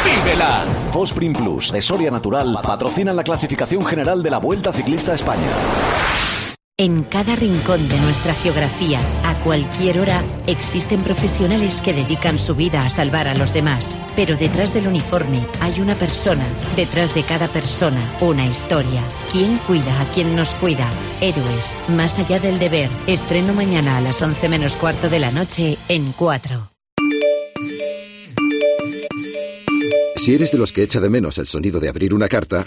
¡Vívela! Fosprin Plus de Soria Natural patrocina la clasificación general de la Vuelta Ciclista a España. En cada rincón de nuestra geografía, a cualquier hora, existen profesionales que dedican su vida a salvar a los demás. Pero detrás del uniforme hay una persona. Detrás de cada persona, una historia. ¿Quién cuida a quien nos cuida? Héroes, más allá del deber. Estreno mañana a las once menos cuarto de la noche en cuatro. Si eres de los que echa de menos el sonido de abrir una carta,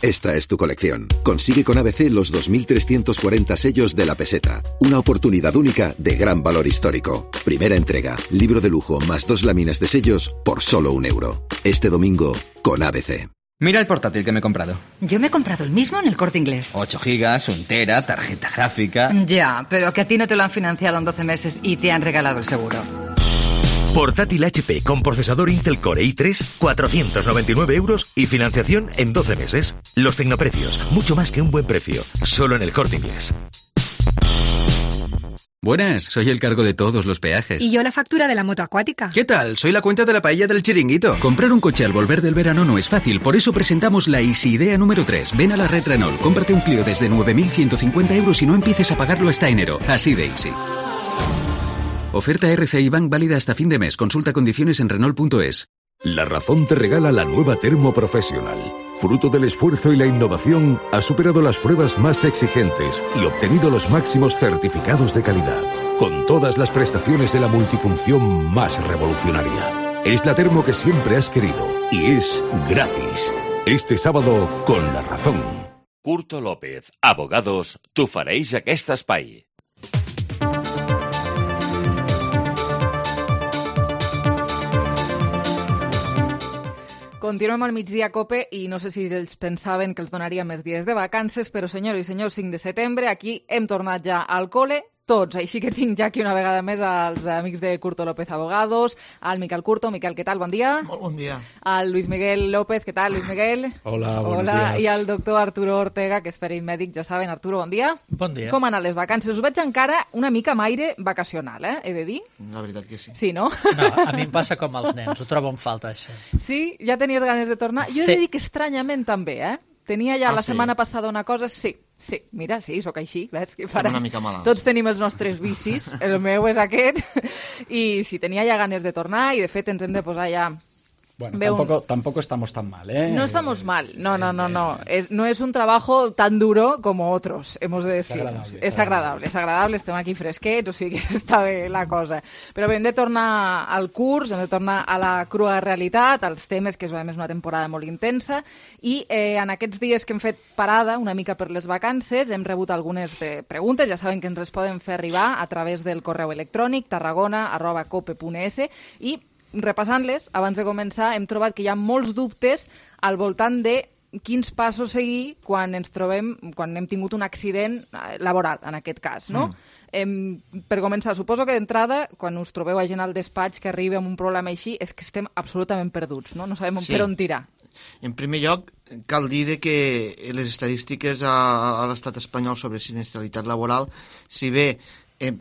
esta es tu colección. Consigue con A B C los dos mil trescientos cuarenta sellos de la peseta. Una oportunidad única de gran valor histórico. Primera entrega, libro de lujo más dos láminas de sellos por solo un euro. Este domingo con A B C. Mira el portátil que me he comprado. Yo me he comprado el mismo en El Corte Inglés. ocho gigas, un tera, tarjeta gráfica... Ya, pero que a ti no te lo han financiado en doce meses y te han regalado el seguro. Portátil H P con procesador Intel Core i tres, cuatrocientos noventa y nueve euros y financiación en doce meses. Los tecnoprecios, mucho más que un buen precio. Solo en El Corte Inglés. Buenas, soy el cargo de todos los peajes. Y yo la factura de la moto acuática. ¿Qué tal? Soy la cuenta de la paella del chiringuito. Comprar un coche al volver del verano no es fácil, por eso presentamos la Easy Idea número tres. Ven a la red Renault, cómprate un Clio desde nueve mil ciento cincuenta euros y no empieces a pagarlo hasta enero. Así de easy. Oferta R C I Bank válida hasta fin de mes. Consulta condiciones en Renault punto es. La Razón te regala la nueva Termo Professional. Fruto del esfuerzo y la innovación, ha superado las pruebas más exigentes y obtenido los máximos certificados de calidad, con todas las prestaciones de la multifunción más revolucionaria. Es la termo que siempre has querido y es gratis. Este sábado, con La Razón. Curto López, abogados, t'ofereix aquest espai. Continuem al migdia a COPE i no sé si ells pensaven que els donaria més dies de vacances, però senyors i senyors, cinc de setembre, aquí hem tornat ja al col·le, tots. Així que tinc ja aquí una vegada més als amics de Curto López Abogados, al Miquel Curto. Miquel, què tal? Bon dia. Molt bon dia. Al Luis Miguel López, què tal, Luis Miguel? Hola, buenos Hola. días. I al doctor Arturo Ortega, que és perell mèdic, ja saben. Arturo, bon dia. Bon dia. Com han anat les vacances? Us veig encara una mica amb aire vacacional, eh? He de dir? La veritat que sí. Sí, no? No, a mi em passa com als nens, ho trobo en falta, això. Sí? Ja tenies ganes de tornar? Jo he Sí. de dir que estranyament també, eh? Tenia ja Ah, la sí? setmana passada una cosa... Sí, sí, mira, sí, sóc així, ves? Què Estem faràs? una mica malalts. Tots tenim els nostres vicis, el meu és aquest, i sí, tenia ja ganes de tornar, i de fet ens hem de posar ja... Bueno, Ve un- tampoco, tampoco estamos tan mal, ¿eh? No estamos mal, no, no, no, no. Es, no es un trabajo tan duro como otros, hemos de decir. agradable, És agradable, és agradable, estem aquí fresquets, o sigui que està bé la cosa. Però bé, hem de tornar al curs, hem de tornar a la crua realitat, als temes, que és a més una temporada molt intensa, i eh, en aquests dies que hem fet parada, una mica per les vacances, hem rebut algunes de preguntes, ja saben que ens les poden fer arribar a través del correu electrònic tarragona arroba cope punt es, i repassant-les, abans de començar, hem trobat que hi ha molts dubtes al voltant de quins passos seguir quan ens trobem, quan hem tingut un accident eh, laboral, en aquest cas, no? Mm. Em, per començar, suposo que d'entrada, quan us trobeu a gent al despatx que arriba amb un problema així, és que estem absolutament perduts, no? No sabem Sí. per on tirar. En primer lloc, cal dir de que les estadístiques a, a l'estat espanyol sobre sinistralitat laboral, si bé eh,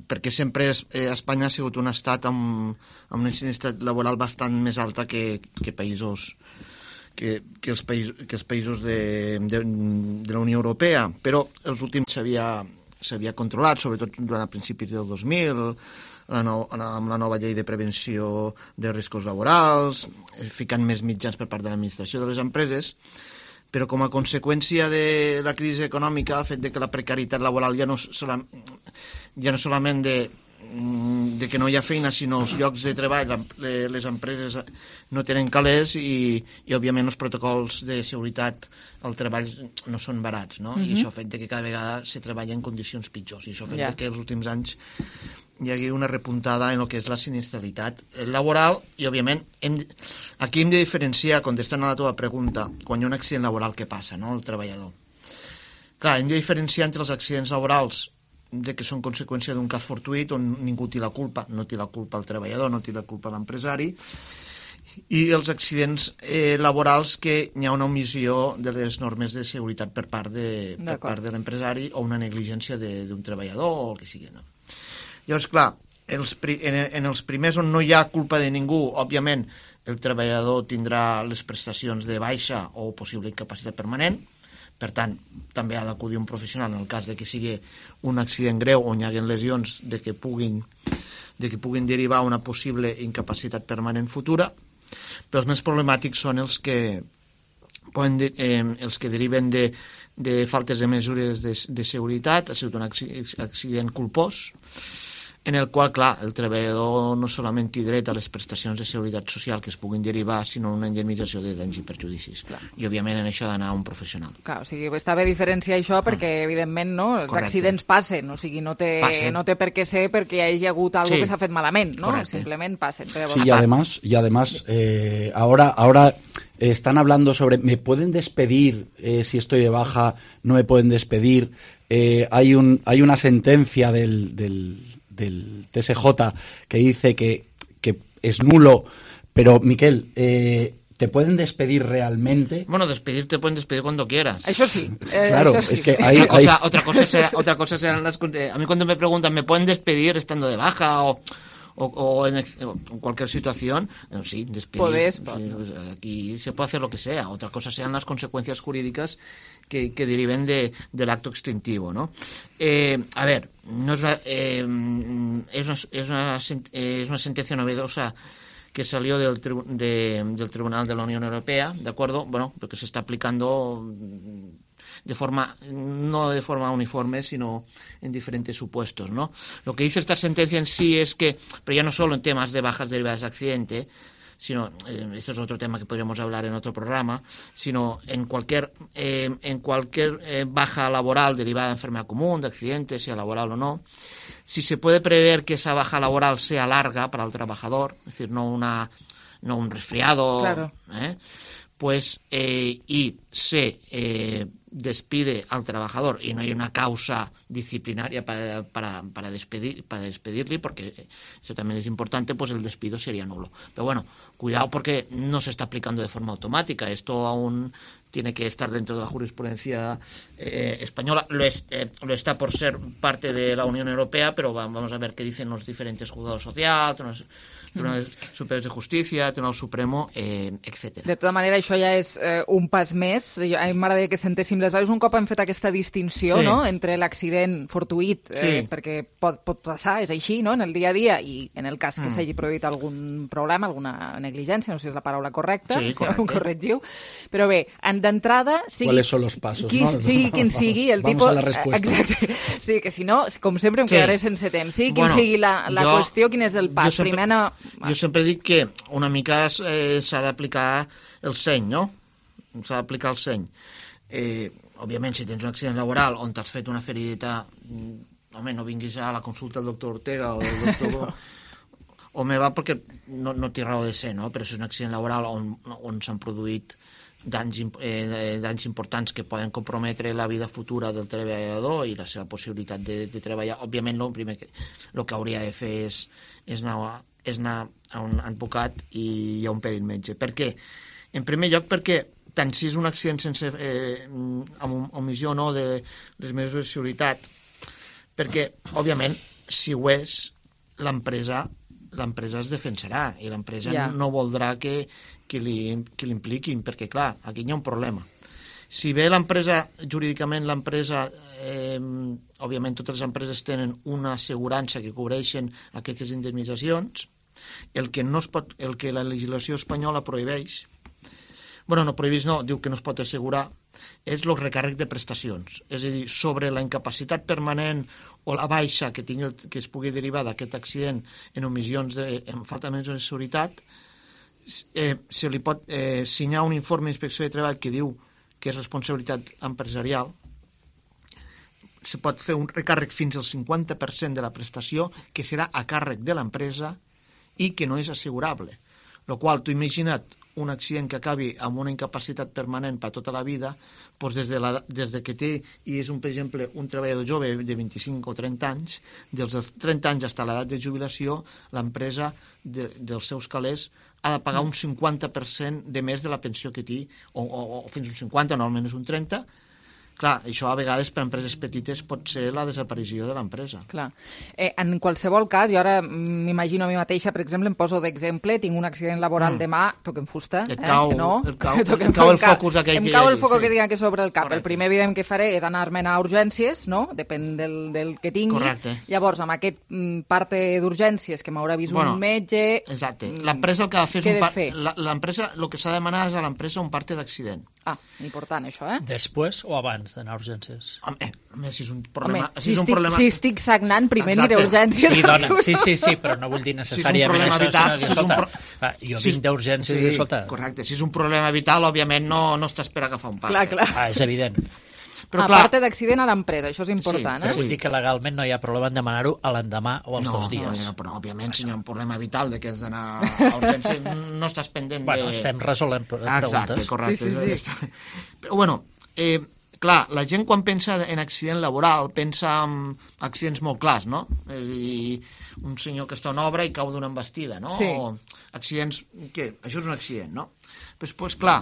perquè sempre es, eh, Espanya ha sigut un estat amb, amb una sinistralitat laboral bastant més alta que, que països que, que, els països, que els països de, de, de la Unió Europea, però els últims s'havia s'havia controlat, sobretot durant principis del dos mil, la no, amb la nova llei de prevenció de riscos laborals, ficant més mitjans per part de l'administració de les empreses, però com a conseqüència de la crisi econòmica, el fet de que la precarietat laboral ja no, sola, ja no solament de, de que no hi ha feina, sinó els llocs de treball, les empreses no tenen calés i, i òbviament, els protocols de seguretat al treball no són barats, no? Mhm. I això ha fet que cada vegada se treballa en condicions pitjors, i això ha fet Ja. que els últims anys hi hagi una repuntada en el que és la sinistralitat laboral i, òbviament, hem, aquí hem de diferenciar, contestant a la teva pregunta, quan hi ha un accident laboral, què passa, no?, el treballador. Clar, hem de diferenciar entre els accidents laborals de que són conseqüència d'un cas fortuït on ningú té la culpa, no té la culpa el treballador, no té la culpa l'empresari, i els accidents eh, laborals que hi ha una omissió de les normes de seguretat per part de, per part de l'empresari o una negligència de- d'un treballador o el que sigui, no? Llavors, clar, els, pri- en, en els primers on no hi ha culpa de ningú, òbviament, el treballador tindrà les prestacions de baixa o possible incapacitat permanent, per tant, també ha d'acudir un professional en el cas de que sigui un accident greu on hi haguen lesions de que puguin, de que puguin derivar una possible incapacitat permanent futura, però els més problemàtics són els que, poden de, eh, els que deriven de, de faltes de mesures de, de seguretat, ha sigut un acci- accident culpós, en el qual, clar, el treballador no solament té dret a les prestacions de seguretat social que es puguin derivar, sinó una indemnització de danys i perjudicis. Clar. I, òbviament, en això ha d'anar a un professional. Clar, o sigui, està bé diferenciar això perquè, evidentment, no, els Correcte. accidents passen, o sigui, no té, Passen. no té per què ser perquè hi hagi hagut alguna Sí. que s'ha fet malament, no? Correcte. Simplement passen. Però, Sí, y además, y además eh, ahora, ahora eh, están hablando sobre, ¿me pueden despedir eh, si estoy de baja? ¿No me pueden despedir? Eh, hay, un, hay una sentencia del, del, del T S J que dice que, que es nulo, pero, Miquel, eh, ¿te pueden despedir realmente? Bueno, despedir te pueden despedir cuando quieras. Eso sí. Eh, Claro, eso sí. es que hay... otra, hay- cosa, otra, cosa será, otra cosa serán las... eh, A mí cuando me preguntan, ¿me pueden despedir estando de baja o, o, o en, ex- o en cualquier situación? Eh, sí, despedir. Podés, Sí, pues, aquí se puede hacer lo que sea. Otra cosa serán las consecuencias jurídicas que, que deriven de, del acto extintivo, ¿no? Eh, a ver, no es una, eh, es una, es una, sen- eh, es una sentencia novedosa que salió del, tribu- de- del Tribunal de la Unión Europea, ¿de acuerdo? Bueno, porque se está aplicando de forma, no de forma uniforme, sino en diferentes supuestos, ¿no? Lo que dice esta sentencia en sí es que, pero ya no solo en temas de bajas derivadas de accidente, sino, eh, esto es otro tema que podríamos hablar en otro programa, sino en cualquier, eh, en cualquier eh, baja laboral derivada de enfermedad común, de accidente, sea laboral o no, si se puede prever que esa baja laboral sea larga para el trabajador, es decir, no una no un resfriado, claro. ¿eh? Pues, eh, y se eh, despide al trabajador y no hay una causa disciplinaria para, para, para, despedir, para despedirle, porque eso también es importante, pues el despido sería nulo. Pero bueno, cuidado porque no se está aplicando de forma automática. Esto aún tiene que estar dentro de la jurisprudencia eh, española. Lo, es, eh, lo está por ser parte de la Unión Europea, pero vamos a ver qué dicen los diferentes juzgados socials, Tribunal Superior de Justícia, Tribunal Supremo, eh, etcètera. De tota manera, això ja és eh, un pas més. Jo, a mi m'agradaria que sentéssim les veus. Un cop hem fet aquesta distinció, Sí. no?, entre l'accident fortuït, eh, Sí. perquè pot, pot passar, és així, no?, en el dia a dia, i en el cas que Mm. s'hagi produït algun problema, alguna negligència, no sé si és la paraula correcta, Sí, ja correcte. ho corregiu. Però bé, d'entrada... Sigui, ¿Cuáles son los pasos? Qui, no? sigui quin sigui el Vamos tipus... a la respuesta. Exacte. Sí, que si no, com sempre em Sí. quedaré sense temps. Sigui quin Bueno, sigui la, la jo- qüestió, quin és el pas. jo sempre- Primer no... Jo sempre dic que una mica eh, s'ha d'aplicar el seny, no? S'ha d'aplicar el seny. Eh, òbviament, si tens un accident laboral on t'has fet una ferideta, mm, home, no vinguis a la consulta del doctor Ortega o del doctor... o me va perquè no, no té raó de ser, no? Però si és un accident laboral on, on s'han produït danys, imp- eh, danys importants que poden comprometre la vida futura del treballador i la seva possibilitat de, de treballar, òbviament el primer que, el que hauria de fer és, és, anar, a- és anar a un advocat i a un perit metge. Per què? En primer lloc perquè tant si és un accident sense eh, amb omissió o no de les mesures de seguretat, perquè òbviament si ho és l'empresa l'empresa es defensarà i l'empresa Ja. no voldrà que, que, li, que l'impliquin, perquè clar, aquí hi ha un problema. Si bé l'empresa, jurídicament l'empresa, eh, òbviament totes les empreses tenen una assegurança que cobreixen aquestes indemnitzacions, el que, no es pot, el que la legislació espanyola prohibeix, bueno, no prohibeix, no, diu que no es pot assegurar, és el recàrrec de prestacions. És a dir, sobre la incapacitat permanent o la baixa que, tingui, que es pugui derivar d'aquest accident en omissions de, en falta de mesures de seguretat, eh, se li pot eh, signar un informe d'inspecció de treball que diu que és responsabilitat empresarial, se pot fer un recàrrec fins al cinquanta per cent de la prestació que serà a càrrec de l'empresa i que no és assegurable. Lo qual, tu imagina't un accident que acabi amb una incapacitat permanent per tota la vida, doncs des, de la, des de que té, i és un, per exemple, un treballador jove de vint-i-cinc o trenta anys, dels trenta anys fins a l'edat de jubilació, l'empresa de, dels seus calés ha de pagar un cinquanta per cent de més de la pensió que té, o, o, o fins un cinquanta, normalment és un trenta. Clar, això a vegades per empreses petites pot ser la desaparició de l'empresa. Clar. Eh, en qualsevol cas, jo ara m'imagino a mi mateixa, per exemple, em poso d'exemple, tinc un accident laboral Mm. demà, toquem fusta, Et eh? cau- que no, et cau- toquem et cau el cap. focus aquell em que hi cau hagi, el foco sí. que tinc aquí sobre el cap. Correcte. El primer evident que faré és anar-me'n a urgències, no? Depèn del, del que tingui. Correcte. Llavors, amb aquest mm, parte d'urgències que m'haurà vist Bueno, un metge... Exacte. mm, L'empresa el que ha de fer és què he un de par... fer? la- l'empresa, el que s'ha de demanar és a l'empresa un parte d'accident. Ah, important això, eh? Després o abans d'anar a urgències? Home, home, si és un problema... Home, si és un estic, problema... si estic sagnant, primer Exacte. aniré a urgències. Sí, dona, sí, sí, sí, però no vull dir necessàriament problema això, vital, sinó que, si és un escolta, pro- va, jo si és- vinc d'urgències sí, i, escolta... correcte. Si és un problema vital, òbviament no, no estàs per agafar un pas. Clar, clar. Ah, és evident. Però a clar, part d'accident a l'empresa, això és important, Però eh? vull dir que legalment no hi ha problema en demanar-ho a l'endemà o als no, dos dies. No, no, però òbviament si hi ha un problema vital de que has d'anar a urgències no estàs pendent Bueno, de... estem resolent pre- Exacte, preguntes. correcte. Sí, sí, sí. Però bueno, eh, clar, la gent quan pensa en accident laboral pensa en accidents molt clars, no? És a dir, un senyor que està en obra i cau d'una embestida, no? Sí. O accidents... Què? Això és un accident, no? Però després, clar,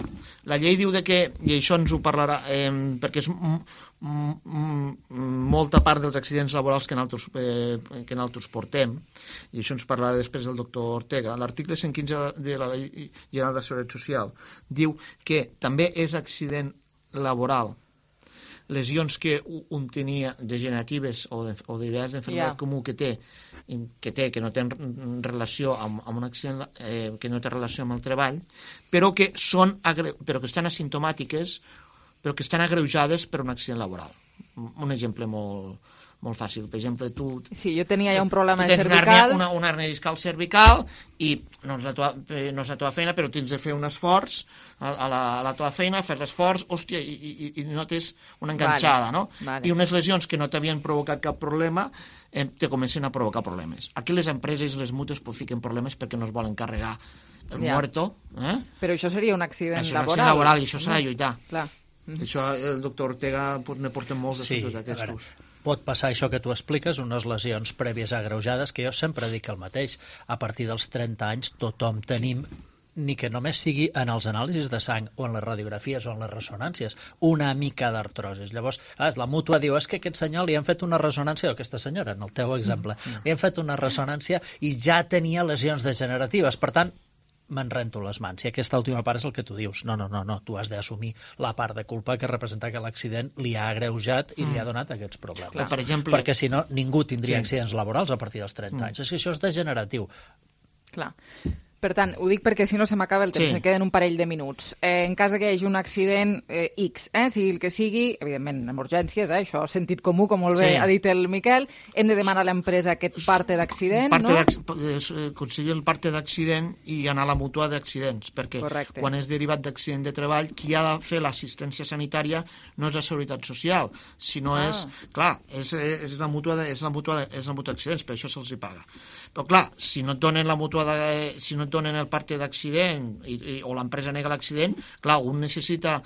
la llei diu de que, i això ens ho parlarà, eh, perquè és m- m- m- molta part dels accidents laborals que nosaltres, eh, que nosaltres portem, i això ens parlarà després del doctor Ortega, l'article cent quinze de la Llei General de Seguretat Social diu que també és accident laboral lesions que un tenia degeneratives o, de, o derivades d'enfermedad Ja. comú que té, que té, que no té relació amb, amb un accident, eh, que no té relació amb el treball, però que són agre... però que estan asimptomàtiques, però que estan agreujades per un accident laboral. Un exemple molt, molt fàcil. Per exemple, tu... Sí, jo tenia ja un problema de tens una cervicals. hernia, una, una hernia discal cervical i no és, la teva, eh, no és la teva feina, però tens de fer un esforç a, a, la, a la teva feina, fes l'esforç, hòstia, i, i, i notes una enganxada, Vale, no? vale. I unes lesions que no t'havien provocat cap problema eh, te comencen a provocar problemes. Aquí les empreses i les mútues pues, fiquen problemes perquè no es volen carregar el Ja. muerto... Eh? Però això seria un accident Això és un laboral. accident laboral i això s'ha de lluitar. Clar. Això el doctor Ortega pues, ne porta molts Sí, assumptes a veure, d'aquestos. pot passar això que tu expliques, unes lesions prèvies agreujades, que jo sempre dic el mateix. A partir dels trenta anys tothom tenim, ni que només sigui en els anàlisis de sang o en les radiografies o en les ressonàncies, una mica d'artrosis. Llavors, clar, la mútua diu, és que aquest senyor li han fet una ressonància, o aquesta senyora, en el teu exemple, li han fet una ressonància i ja tenia lesions degeneratives. Per tant, me'n rento les mans. I aquesta última part és el que tu dius. No, no, no, no. Tu has d'assumir la part de culpa que representa que l'accident li ha agreujat i li ha donat aquests problemes. Clar, per exemple... Perquè si no, ningú tindria Sí. accidents laborals a partir dels trenta anys. És que això és degeneratiu. Clar. Per tant, ho dic perquè si no se m'acaba el temps, Sí. me queden un parell de minuts. Eh, en cas de que hi hagi un accident eh, X, eh, sigui el que sigui, evidentment, amb urgències, eh, això, sentit comú, com molt bé Sí. ha dit el Miquel, hem de demanar a l'empresa aquest parte d'accident, Parte no? d'acc- eh, aconseguir el parte d'accident i anar a la mútua d'accidents, perquè Correcte. quan és derivat d'accident de treball, qui ha de fer l'assistència sanitària no és la Seguretat Social, sinó Ah. és, clar, és, és la mútua de, és la mútua de, és la mútua d'accidents, per això se'ls hi paga. Però clar, si no et donen la mútua de, si no et donen el parte d'accident i, i, o l'empresa nega l'accident, clar, un necessita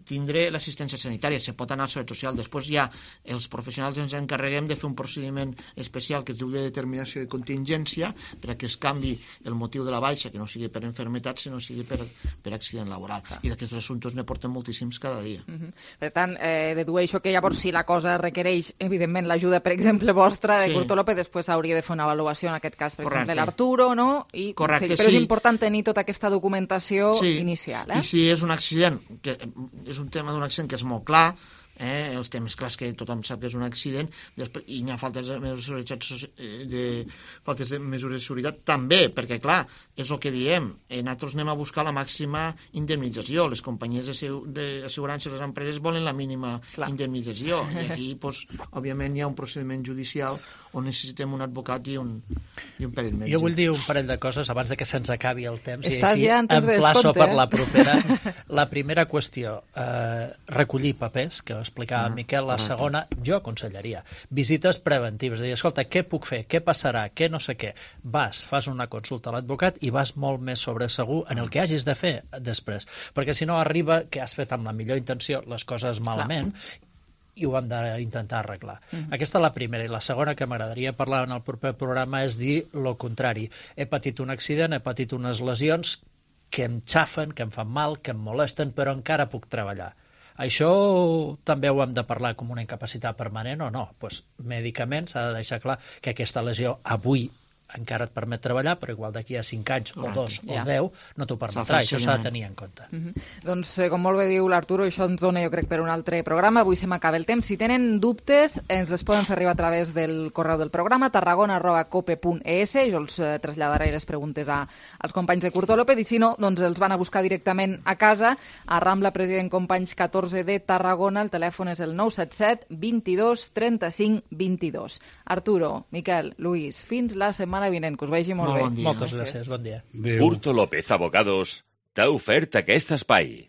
tindré l'assistència sanitària, se pot anar a la Seguretat Social. Després ja els professionals ens encarreguem de fer un procediment especial que es diu de determinació de contingència perquè es canvi el motiu de la baixa, que no sigui per enfermetat, sinó sigui per, per accident laboral. I d'aquests assumptes ne portem moltíssims cada dia. Uh -huh. Per tant, eh, dedueixo que llavors si la cosa requereix, evidentment, l'ajuda, per exemple, vostra, de Sí. Curto López, després hauria de fer una avaluació, en aquest cas, per Correcte. exemple, l'Arturo, no? I, Correcte, però és sí. important tenir tota aquesta documentació Sí. inicial, eh? I si és un accident, que és un tema d'un accident que és molt clar, eh, els temes clars que tothom sap que és un accident, després, i hi ha faltes de mesures de, seguretat, de, faltes de mesures de seguretat també, perquè clar, és el que diem, eh, nosaltres anem a buscar la màxima indemnització, les companyies d'assegurances, les empreses volen la mínima clar. indemnització, i aquí, doncs, òbviament, hi ha un procediment judicial on necessitem un advocat i un, i un perill metge. Jo vull dir un parell de coses abans de que se'ns acabi el temps. Estàs i ja en temps de emplaço descompte, per eh? la propera. La primera qüestió, eh, recollir papers, que ho explicava Ah, el Miquel. La correcte. segona, jo aconsellaria. Visites preventives, de dir, escolta, què puc fer? Què passarà? Què no sé què? Vas, fas una consulta a l'advocat i vas molt més sobre segur en el que hagis de fer després. Perquè si no arriba que has fet amb la millor intenció les coses malament, i ho hem d'intentar arreglar. Mhm. Aquesta és la primera. I la segona que m'agradaria parlar en el proper programa és dir el contrari. He patit un accident, he patit unes lesions que em xafen, que em fan mal, que em molesten, però encara puc treballar. Això també ho hem de parlar com una incapacitat permanent o no? Pues, mèdicament s'ha de deixar clar que aquesta lesió avui encara et permet treballar, però igual d'aquí a cinc anys o dos Ja. o deu no t'ho permetrà. Això s'ha de tenir en compte. Uh -huh. Doncs, eh, com molt bé diu l'Arturo, això ens dona, jo crec, per un altre programa. Avui se m'acaba el temps. Si tenen dubtes, ens les poden fer arribar a través del correu del programa, tarragona arroba cope punt es. Jo els eh, traslladaré les preguntes a, als companys de Curto López, i si no, doncs els van a buscar directament a casa, a Rambla President Companys catorze de Tarragona. El telèfon és el nou set set, vint-i-dos, trenta-cinc, vint-i-dos. Arturo, Miquel, Luis, fins la setmana vinent, que us vegi molt, Molt bé. bon dia. Moltes gràcies, bon dia. Curto López Abogados t'ha ofert aquest espai.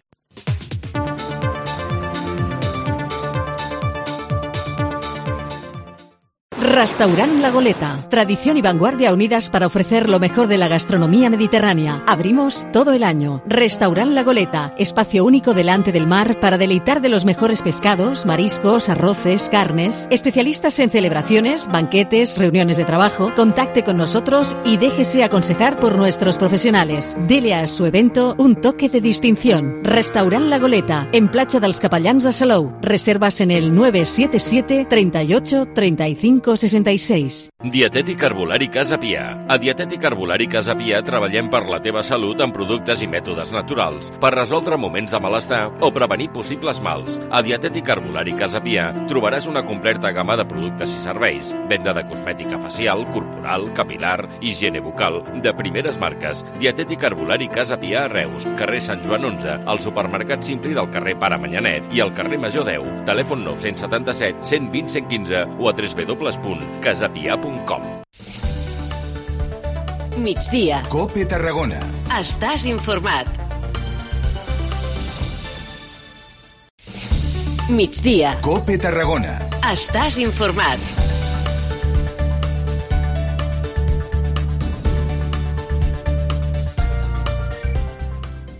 Restaurant La Goleta. Tradición y vanguardia unidas para ofrecer lo mejor de la gastronomía mediterránea. Abrimos todo el año. Restaurant La Goleta. Espacio único delante del mar para deleitar de los mejores pescados, mariscos, arroces, carnes. Especialistas en celebraciones, banquetes, reuniones de trabajo. Contacte con nosotros y déjese aconsejar por nuestros profesionales. Dele a su evento un toque de distinción. Restaurant La Goleta. En Platja dels Capellans de Salou. Reservas en el nueve siete siete, treinta y ocho, treinta y cinco, sesenta y seis. Dietètic Herbolari Casa Pia. A Dietètic Herbolari Casa Pia treballem per la teva salut amb productes i mètodes naturals, per resoldre moments de malestar o prevenir possibles mals. A Dietètic Herbolari Casa Pia trobaràs una completa gamma de productes i serveis, venda de cosmètica facial, corporal, capilar, higiene bucal, de primeres marques. Dietètic Herbolari Casa Pia a Reus, carrer Sant Joan onze, al supermercat Simpli del carrer Pare Manyanet i al carrer Major deu. Telèfon nou set set, cent vint, cent quinze o a w w w punt casapia punt com. Migdia. Cope Tarragona. Estàs informat. Migdia. Cope Tarragona. Estàs informat.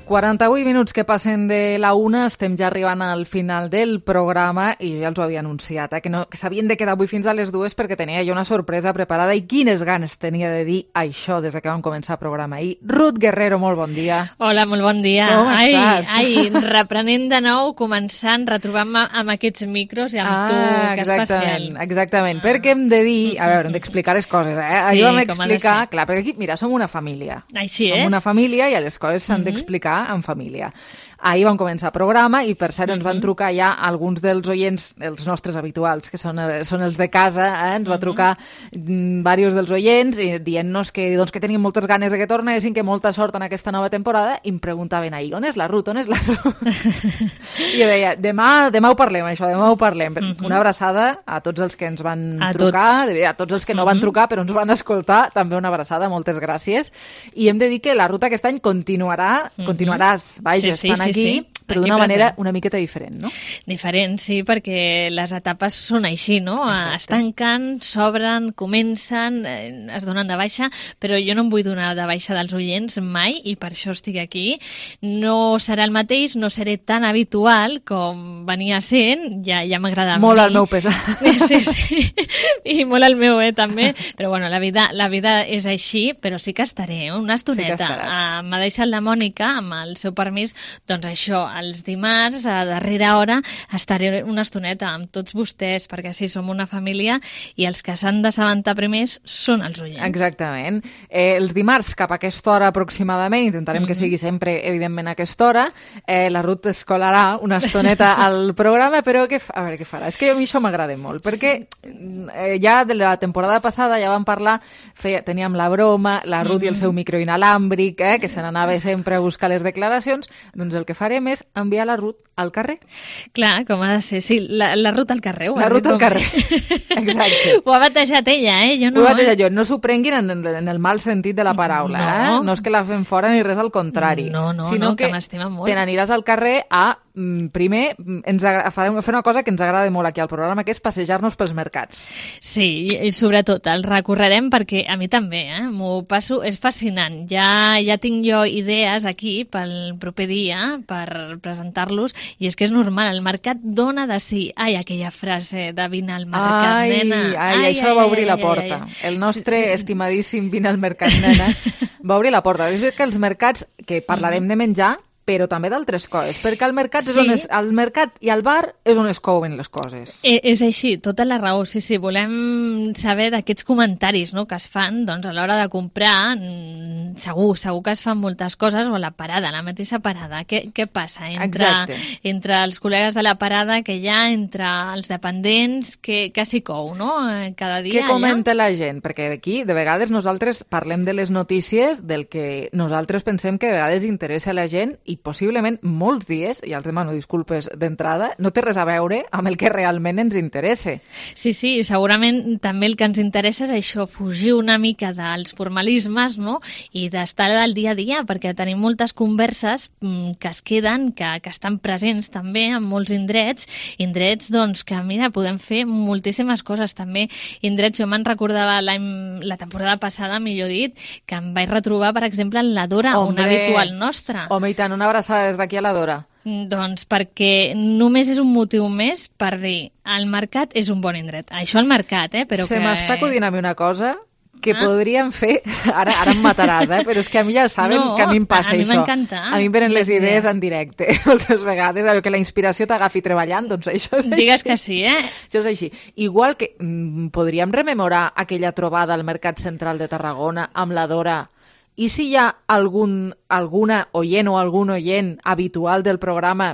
quaranta-vuit minuts que passen de la una, estem ja arribant al final del programa i ja els ho havia anunciat, eh, que, no, que s'havien de quedar avui fins a les dues perquè tenia jo una sorpresa preparada i quines ganes tenia de dir això des que vam començar el programa ahir. Ruth Guerrero, molt bon dia. Hola, molt bon dia. Com ai, estàs? ai, reprenent de nou, començant, retrobant-me amb aquests micros i amb ah, tu, que exactament, especial. Exactament, ah. perquè hem de dir, a veure, hem d'explicar les coses, eh? Sí, Ahir vam com ha de explicar, ser. clar, perquè aquí, mira, som una família. Així som és. Som una família i les coses s'han Mhm. d'explicar en família. Ahir vam començar el programa i, per cert, ens van trucar ja alguns dels oients, els nostres habituals, que són, eh, són els de casa, eh? Ens va trucar mm, diversos dels oients i dient-nos que, doncs, que tenien moltes ganes de que tornessin, que molta sort en aquesta nova temporada, i em preguntaven ahir, on és la Ruth, on és la Ruth? I jo deia, demà, demà ho parlem, això, demà ho parlem. Una abraçada a tots els que ens van A trucar, tots. a tots els que no van trucar però ens van escoltar, també una abraçada, moltes gràcies. I hem de dir que la Ruth aquest any continuarà, continuaràs, vaja, Sí, sí, estan sí, aquí, sí. però Aquí d'una manera present. una miqueta diferent, no? Diferent, sí, perquè les etapes són així, no? Exacte. Es tanquen, s'obren, comencen, eh, es donen de baixa, però jo no em vull donar de baixa dels oients mai i per això estic aquí. No serà el mateix, no seré tan habitual com venia sent, ja, ja m'agrada a Molt mi. al meu pesar. Sí, sí, i molt al meu, eh, també. Però bueno, la vida, la vida és així, però sí que estaré, eh, una estoneta. estaràs. Ah, m'ha deixat la Mònica, amb el seu permís, doncs això, els dimarts, a darrera hora, estaré una estoneta amb tots vostès, perquè sí, som una família i els que s'han d'assabentar primers són els oients. Exactament. Eh, els dimarts, cap a aquesta hora aproximadament, intentarem mm -hmm. que sigui sempre, evidentment, a aquesta hora, eh, la Ruth es colarà una estoneta al programa, però que, a veure què farà. És que a mi això m'agrada molt, perquè eh, ja de la temporada passada ja vam parlar, feia, teníem la broma, la Ruth mm -hmm. i el seu micro inalàmbric, eh, que se n'anava sempre a buscar les declaracions, doncs el que farem és enviar la Ruth al carrer. Clar, com ha de ser. Sí, la, la Ruth al carrer. ho La has Ruth dit al com- carrer. Exacte. Ho ha batejat ella, eh? Jo no, Ho vaig eh? dir jo, no s'ho prenguin en, en el mal sentit de la paraula, No. eh? No és que la fem fora ni res al contrari. No, no, sinó no, que que m'estima molt. te n'aniràs al carrer a, mm, primer, mm, ens agra- farem fer una cosa que ens agrada molt aquí al programa, que és passejar-nos pels mercats. Sí, i, i sobretot el recorrerem perquè a mi també, eh? M'ho passo, és fascinant. Ja, ja tinc jo idees aquí pel proper dia per presentar-los i és que és normal, el mercat dona de sí. Ai, aquella frase de vine al mercat, ai, nena. ai, això va obrir la porta. El nostre estimadíssim vine al mercat, nena, va obrir la porta. És que els mercats, que parlarem de menjar, però també d'altres coses, perquè al mercat, és Sí. on es, al mercat i al bar és on es couen les coses. Eh, és així, tota la raó, sí, sí. Volem saber d'aquests comentaris, no?, que es fan doncs, a l'hora de comprar. mm, Segur, segur que es fan moltes coses, o a la parada, a la mateixa parada. Què, què passa entre, Exacte. entre els col·legues de la parada que hi ha, entre els dependents, que, que s'hi cou, no?, eh, cada dia Què comenta la gent? Perquè aquí, de vegades, nosaltres parlem de les notícies del que nosaltres pensem que de vegades interessa a la gent i possiblement molts dies, i els demano disculpes d'entrada, no té res a veure amb el que realment ens interessa. Sí, sí, segurament també el que ens interessa és això, fugir una mica dels formalismes, no?, i d'estar al dia a dia, perquè tenim moltes converses mm, que es queden, que, que estan presents també en molts indrets, indrets doncs que, mira, podem fer moltíssimes coses també, indrets, jo me'n recordava l'any, la temporada passada, millor dit, que em vaig retrobar, per exemple, en la Dora, una habitual nostra. Home, i tant, una abraçada des d'aquí a la Dora. Doncs perquè només és un motiu més per dir el mercat és un bon indret. Això al mercat, eh? Però Se que... m'està acudint a mi una cosa que Ah. podríem fer... Ara ara em mataràs, eh? Però és que a mi ja saben No, que a mi em passa a mi això. m'encanta A mi em venen les les idees idees. en directe, moltes vegades. Allò que la inspiració t'agafi treballant, doncs això és Digues així. que sí, eh? Això és així. Igual que mm, podríem rememorar aquella trobada al Mercat Central de Tarragona amb la Dora. I si hi ha algun, alguna oient o algun oient habitual del programa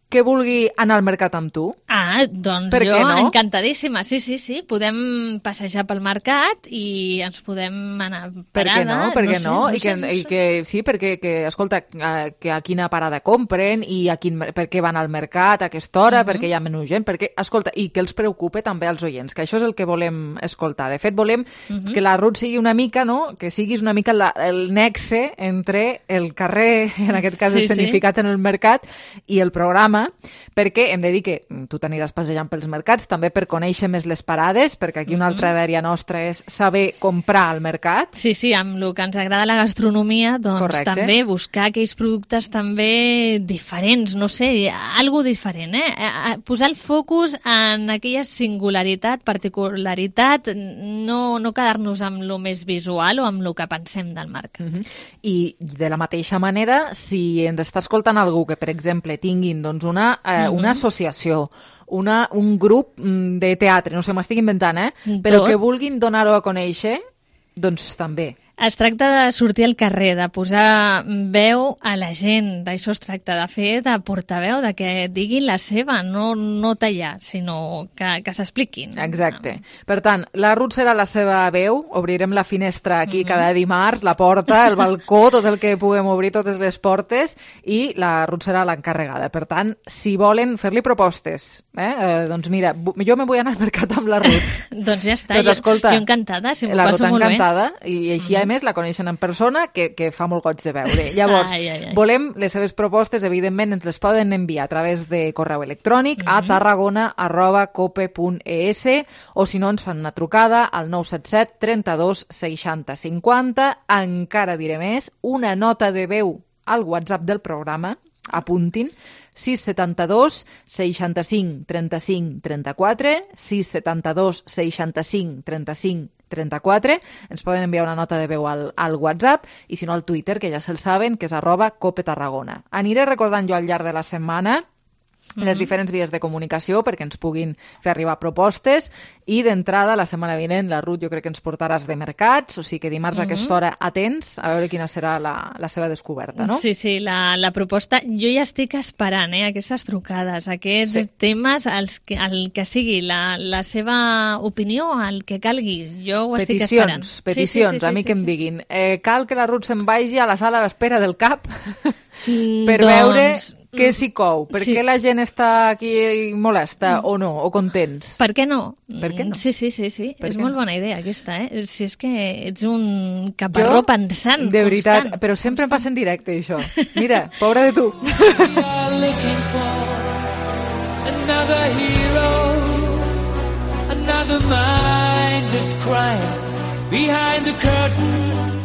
que vulgui anar al mercat amb tu? Ah, doncs Per jo què no? encantadíssima. Sí, sí, sí. Podem passejar pel mercat i ens podem anar Per parada. què no? Per què sé, no? I sé, que, no i sé. que sí, perquè, que, escolta, eh, que a quina parada compren i a quin, per què van al mercat a aquesta hora, Mhm. perquè hi ha menys gent, perquè, escolta, i que els preocupe també als oients, que això és el que volem escoltar. De fet, volem Mhm. que la Ruth sigui una mica, no?, que siguis una mica la, el nexe entre el carrer, en aquest cas Sí, escenificat en el mercat, i el programa, programa, perquè hem de dir que tu t'aniràs passejant pels mercats, també per conèixer més les parades, perquè aquí una altra idea nostra és saber comprar al mercat. Sí, sí, amb el que ens agrada la gastronomia, doncs Correcte. també buscar aquells productes també diferents, no sé, algo diferent, eh? Posar el focus en aquella singularitat, particularitat, no, no quedar-nos amb lo més visual o amb lo que pensem del mercat. Uh-huh. I de la mateixa manera, si ens està escoltant algú que, per exemple, tinguin doncs, una, eh, uh-huh. una associació, una, un grup de teatre, no sé, m'estic inventant, eh? Però Tot. que vulguin donar-ho a conèixer, doncs també. Es tracta de sortir al carrer, de posar veu a la gent, d'això es tracta, de fer de portaveu, de que diguin la seva, no, no tallar, sinó que, que s'expliquin. Exacte. Per tant, la Ruth serà la seva veu, obrirem la finestra aquí uh-huh. cada dimarts, la porta, el balcó, tot el que puguem obrir, totes les portes, i la Ruth serà l'encarregada. Per tant, si volen fer-li propostes, eh? Eh, doncs mira, jo me vull anar al mercat amb la Ruth. Doncs ja està, doncs, jo, escolta, jo encantada, si m'ho la passo Ruth molt encantada, bé. I així, uh-huh. a més, la coneixen en persona, que, que fa molt goig de veure. Llavors, ai, ai, ai. volem les seves propostes, evidentment, ens les poden enviar a través de correu electrònic uh-huh. a tarragona arroba cope punt es o si no ens fan una trucada al nou set set trenta-dos seixanta cinquanta. Encara diré més, una nota de veu al WhatsApp del programa, apuntin, sis setanta-dos seixanta-cinc trenta-cinc trenta-quatre, sis setanta-dos seixanta-cinc trenta-cinc trenta-quatre, ens poden enviar una nota de veu al, al WhatsApp i si no al Twitter, que ja se'l saben, que és arroba Cope Tarragona. Aniré recordant jo al llarg de la setmana les mm-hmm. diferents vies de comunicació perquè ens puguin fer arribar propostes i d'entrada la setmana vinent la Ruth jo crec que ens portaràs de mercats, o sigui que dimarts mm-hmm. a aquesta hora atents a veure quina serà la, la seva descoberta, no? Sí, sí, la, la proposta, jo ja estic esperant eh, aquestes trucades, aquests sí. temes, els que, el que sigui la, la seva opinió, el que calgui, jo ho peticions, estic esperant. Peticions, sí, sí, sí, a mi sí, que sí, em sí. diguin eh, cal que la Ruth se'n vagi a la sala d'espera del C A P mm, per doncs... veure què s'hi cou? Per Sí. què la gent està aquí molesta o no, o contents? Per què no? Per què no? Sí, sí, sí, sí. Per és què molt no? bona idea aquesta, eh? Si és que ets un caparró pensant de veritat, constant. però sempre em passa en directe, això. Mira, pobra de tu. Another hero, another mindless crime behind the curtain.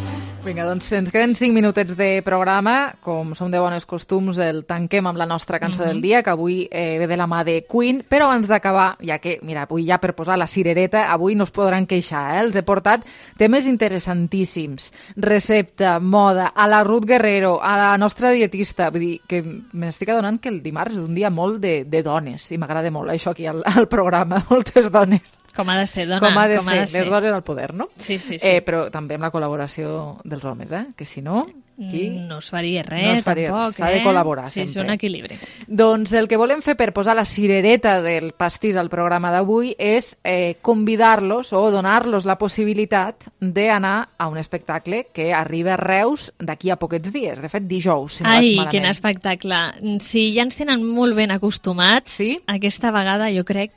Vinga, doncs ens queden cinc minutets de programa. Com som de bones costums, el tanquem amb la nostra cançó Mhm. del dia, que avui eh, ve de la mà de Queen, però abans d'acabar, ja que, mira, avui ja per posar la cirereta, avui no es podran queixar, eh? Els he portat temes interessantíssims. Recepta, moda, a la Ruth Guerrero, a la nostra dietista. Vull dir que m'estic adonant que el dimarts és un dia molt de, de dones, i m'agrada molt això aquí al, al programa, moltes dones. Com ha de ser, dona, com ha de com ser, ha de ser. les dones al poder, no? Sí, sí, sí. Eh, però també amb la col·laboració dels homes, eh? Que si no, aquí... No es faria res, no es faria tampoc, res. S'ha de eh? col·laborar, sí, sempre. Sí, un equilibri. Doncs el que volem fer per posar la cirereta del pastís al programa d'avui és eh, convidar-los o donar-los la possibilitat d'anar a un espectacle que arriba a Reus d'aquí a poquets dies, de fet dijous, si no Ai, vaig malament. quin espectacle. Si ja ens tenen molt ben acostumats, sí? aquesta vegada jo crec...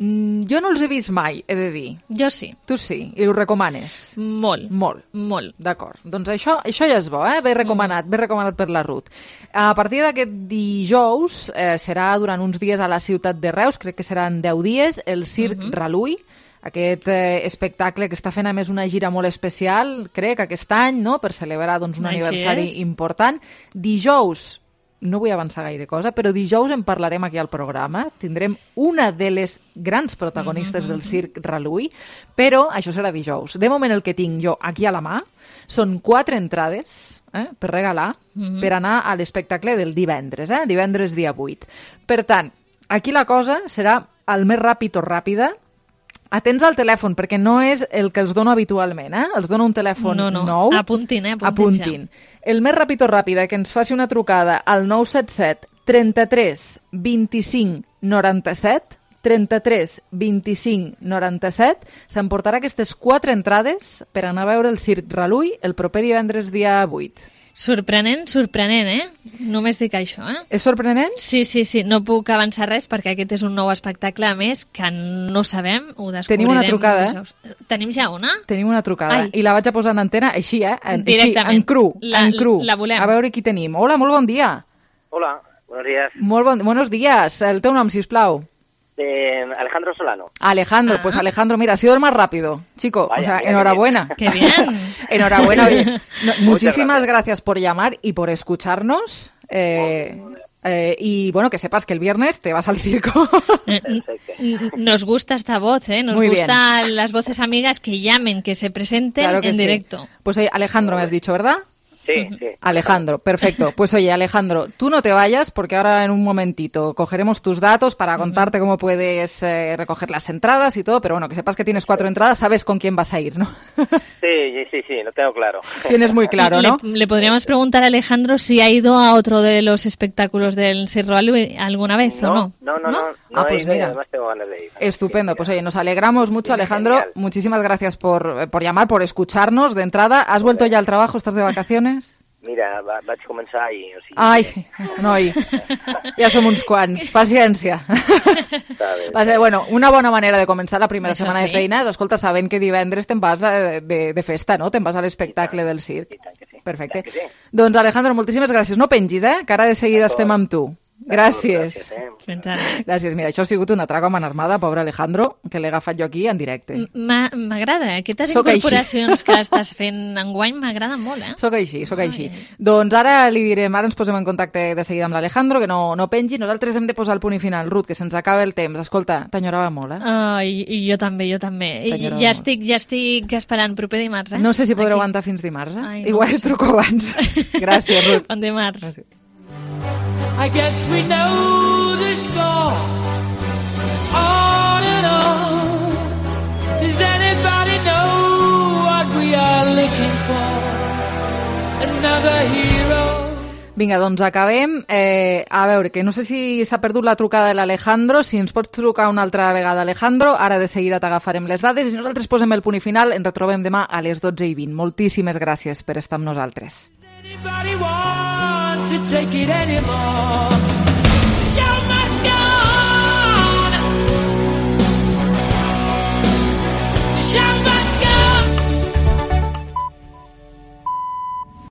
Mm, jo no els he vist mai, he de dir. Jo sí. Tu sí, i ho recomanes? Molt. Molt. Molt. D'acord. Doncs això, això ja és bo, eh? Ben recomanat, ben recomanat per la Ruth. A partir d'aquest dijous eh, serà durant uns dies a la ciutat de Reus, crec que seran deu dies, el Circ uh-huh. Ralui, aquest eh, espectacle que està fent a més una gira molt especial, crec, aquest any, no?, per celebrar doncs, un Així aniversari és. important. Dijous, no vull avançar gaire cosa, però dijous en parlarem aquí al programa. Tindrem una de les grans protagonistes Mm-hmm. del Circ Ralui, però això serà dijous. De moment el que tinc jo aquí a la mà són quatre entrades eh, per regalar Mhm. per anar a l'espectacle del divendres, eh? Divendres dia vuit. Per tant, aquí la cosa serà el més ràpid o ràpida. Atents al telèfon, perquè no és el que els dono habitualment, eh? Els dono un telèfon No, no. nou. Apuntin, eh? Apuntin, Apuntin. El més ràpid o ràpida que ens faci una trucada al nou set set trenta-tres vint-i-cinc noranta-set, trenta-tres vint-i-cinc noranta-set, s'emportarà aquestes quatre entrades per anar a veure el Circ Ralui el proper divendres dia vuit. Sorprenent, sorprenent, eh? Només dic això, eh? És sorprenent? Sí, sí, sí. No puc avançar res perquè aquest és un nou espectacle, a més, que no sabem, ho descobrirem. Tenim una trucada, eh? dijous. Tenim ja una? Tenim una trucada. Ai. I la vaig a posar en antena així, eh? En, així, Directament. en cru, La- en cru. la volem. A veure qui tenim. Hola, molt bon dia. Hola, Buenos días. Molt bon, buenos días. El teu nom, sisplau. Eh, Alejandro Solano. Alejandro, ah. pues Alejandro, mira, ha sido el más rápido. Chico, Vaya, o sea, mira, enhorabuena. Qué bien. Enhorabuena. Oye, no, muchísimas gracias. gracias por llamar y por escucharnos. Eh, eh, y bueno, que sepas que el viernes te vas al circo. Nos gusta esta voz, ¿eh? Nos Muy gustan bien. Las voces amigas que llamen, que se presenten claro que en sí. directo. Pues oye, Alejandro, me has dicho, ¿verdad? Sí, sí. Alejandro, perfecto. Pues oye, Alejandro, tú no te vayas porque ahora en un momentito cogeremos tus datos para contarte cómo puedes eh, recoger las entradas y todo, pero bueno, que sepas que tienes cuatro entradas, sabes con quién vas a ir, ¿no? Sí, sí, sí, lo tengo claro. Tienes muy claro, ¿no? Le, le podríamos preguntar a Alejandro si ha ido a otro de los espectáculos del Circo alguna vez no, o no. No, no, no. no, no ah, pues he ido y mira. además tengo ganas de ir. Estupendo, pues oye, nos alegramos mucho, Alejandro. Genial. Muchísimas gracias por, por llamar, por escucharnos de entrada. ¿Has vuelto ya al trabajo? ¿Estás de vacaciones? Mira, va, vaig començar i... O sigui, Ai, noi, ja som uns quants. Paciència. Va ser, bueno, una bona manera de començar la primera Això setmana sí. de feina. Escolta, sabent que divendres te'n vas de, de, de festa, no? Te'n vas a l'espectacle del circ. Perfecte. sí. Doncs, Alejandro, moltíssimes gràcies. No pengis, eh? Que ara de seguida estem amb tu. Gràcies. Fins ara. Gràcies. Mira, això ha sigut una traca amb armada, pobre Alejandro, que l'he agafat jo aquí en directe. M'ha- M'agrada, aquestes Soc així. incorporacions que estàs fent enguany m'agraden molt, eh? Soc així, soc així. Doncs ara li direm, ara ens posem en contacte de seguida amb l'Alejandro, que no, no pengi. Nosaltres hem de posar el punt i final. Ruth, que se'ns acaba el temps. Escolta, t'enyorava molt, eh? Ai, i jo també, jo també. I T'enyorava ja molt. estic, ja estic esperant proper dimarts, eh? No sé si podré Aquí. aguantar fins dimarts, eh? Ai, no Igual ho et sé. truco abans. Gràcies, Ruth. Bon dimarts. Gràcies. I guess we know the score. On and on. Does anybody know what we are looking for? Another hero. Vinga, doncs acabem. Eh, a veure, que no sé si s'ha perdut la trucada de l'Alejandro. Si ens pots trucar una altra vegada, Alejandro. Ara de seguida t'agafarem les dades i nosaltres posem el punt i final. Ens retrobem demà a les dotze i vint. Moltíssimes gràcies per estar amb nosaltres. Anybody want to take it anymore? Show my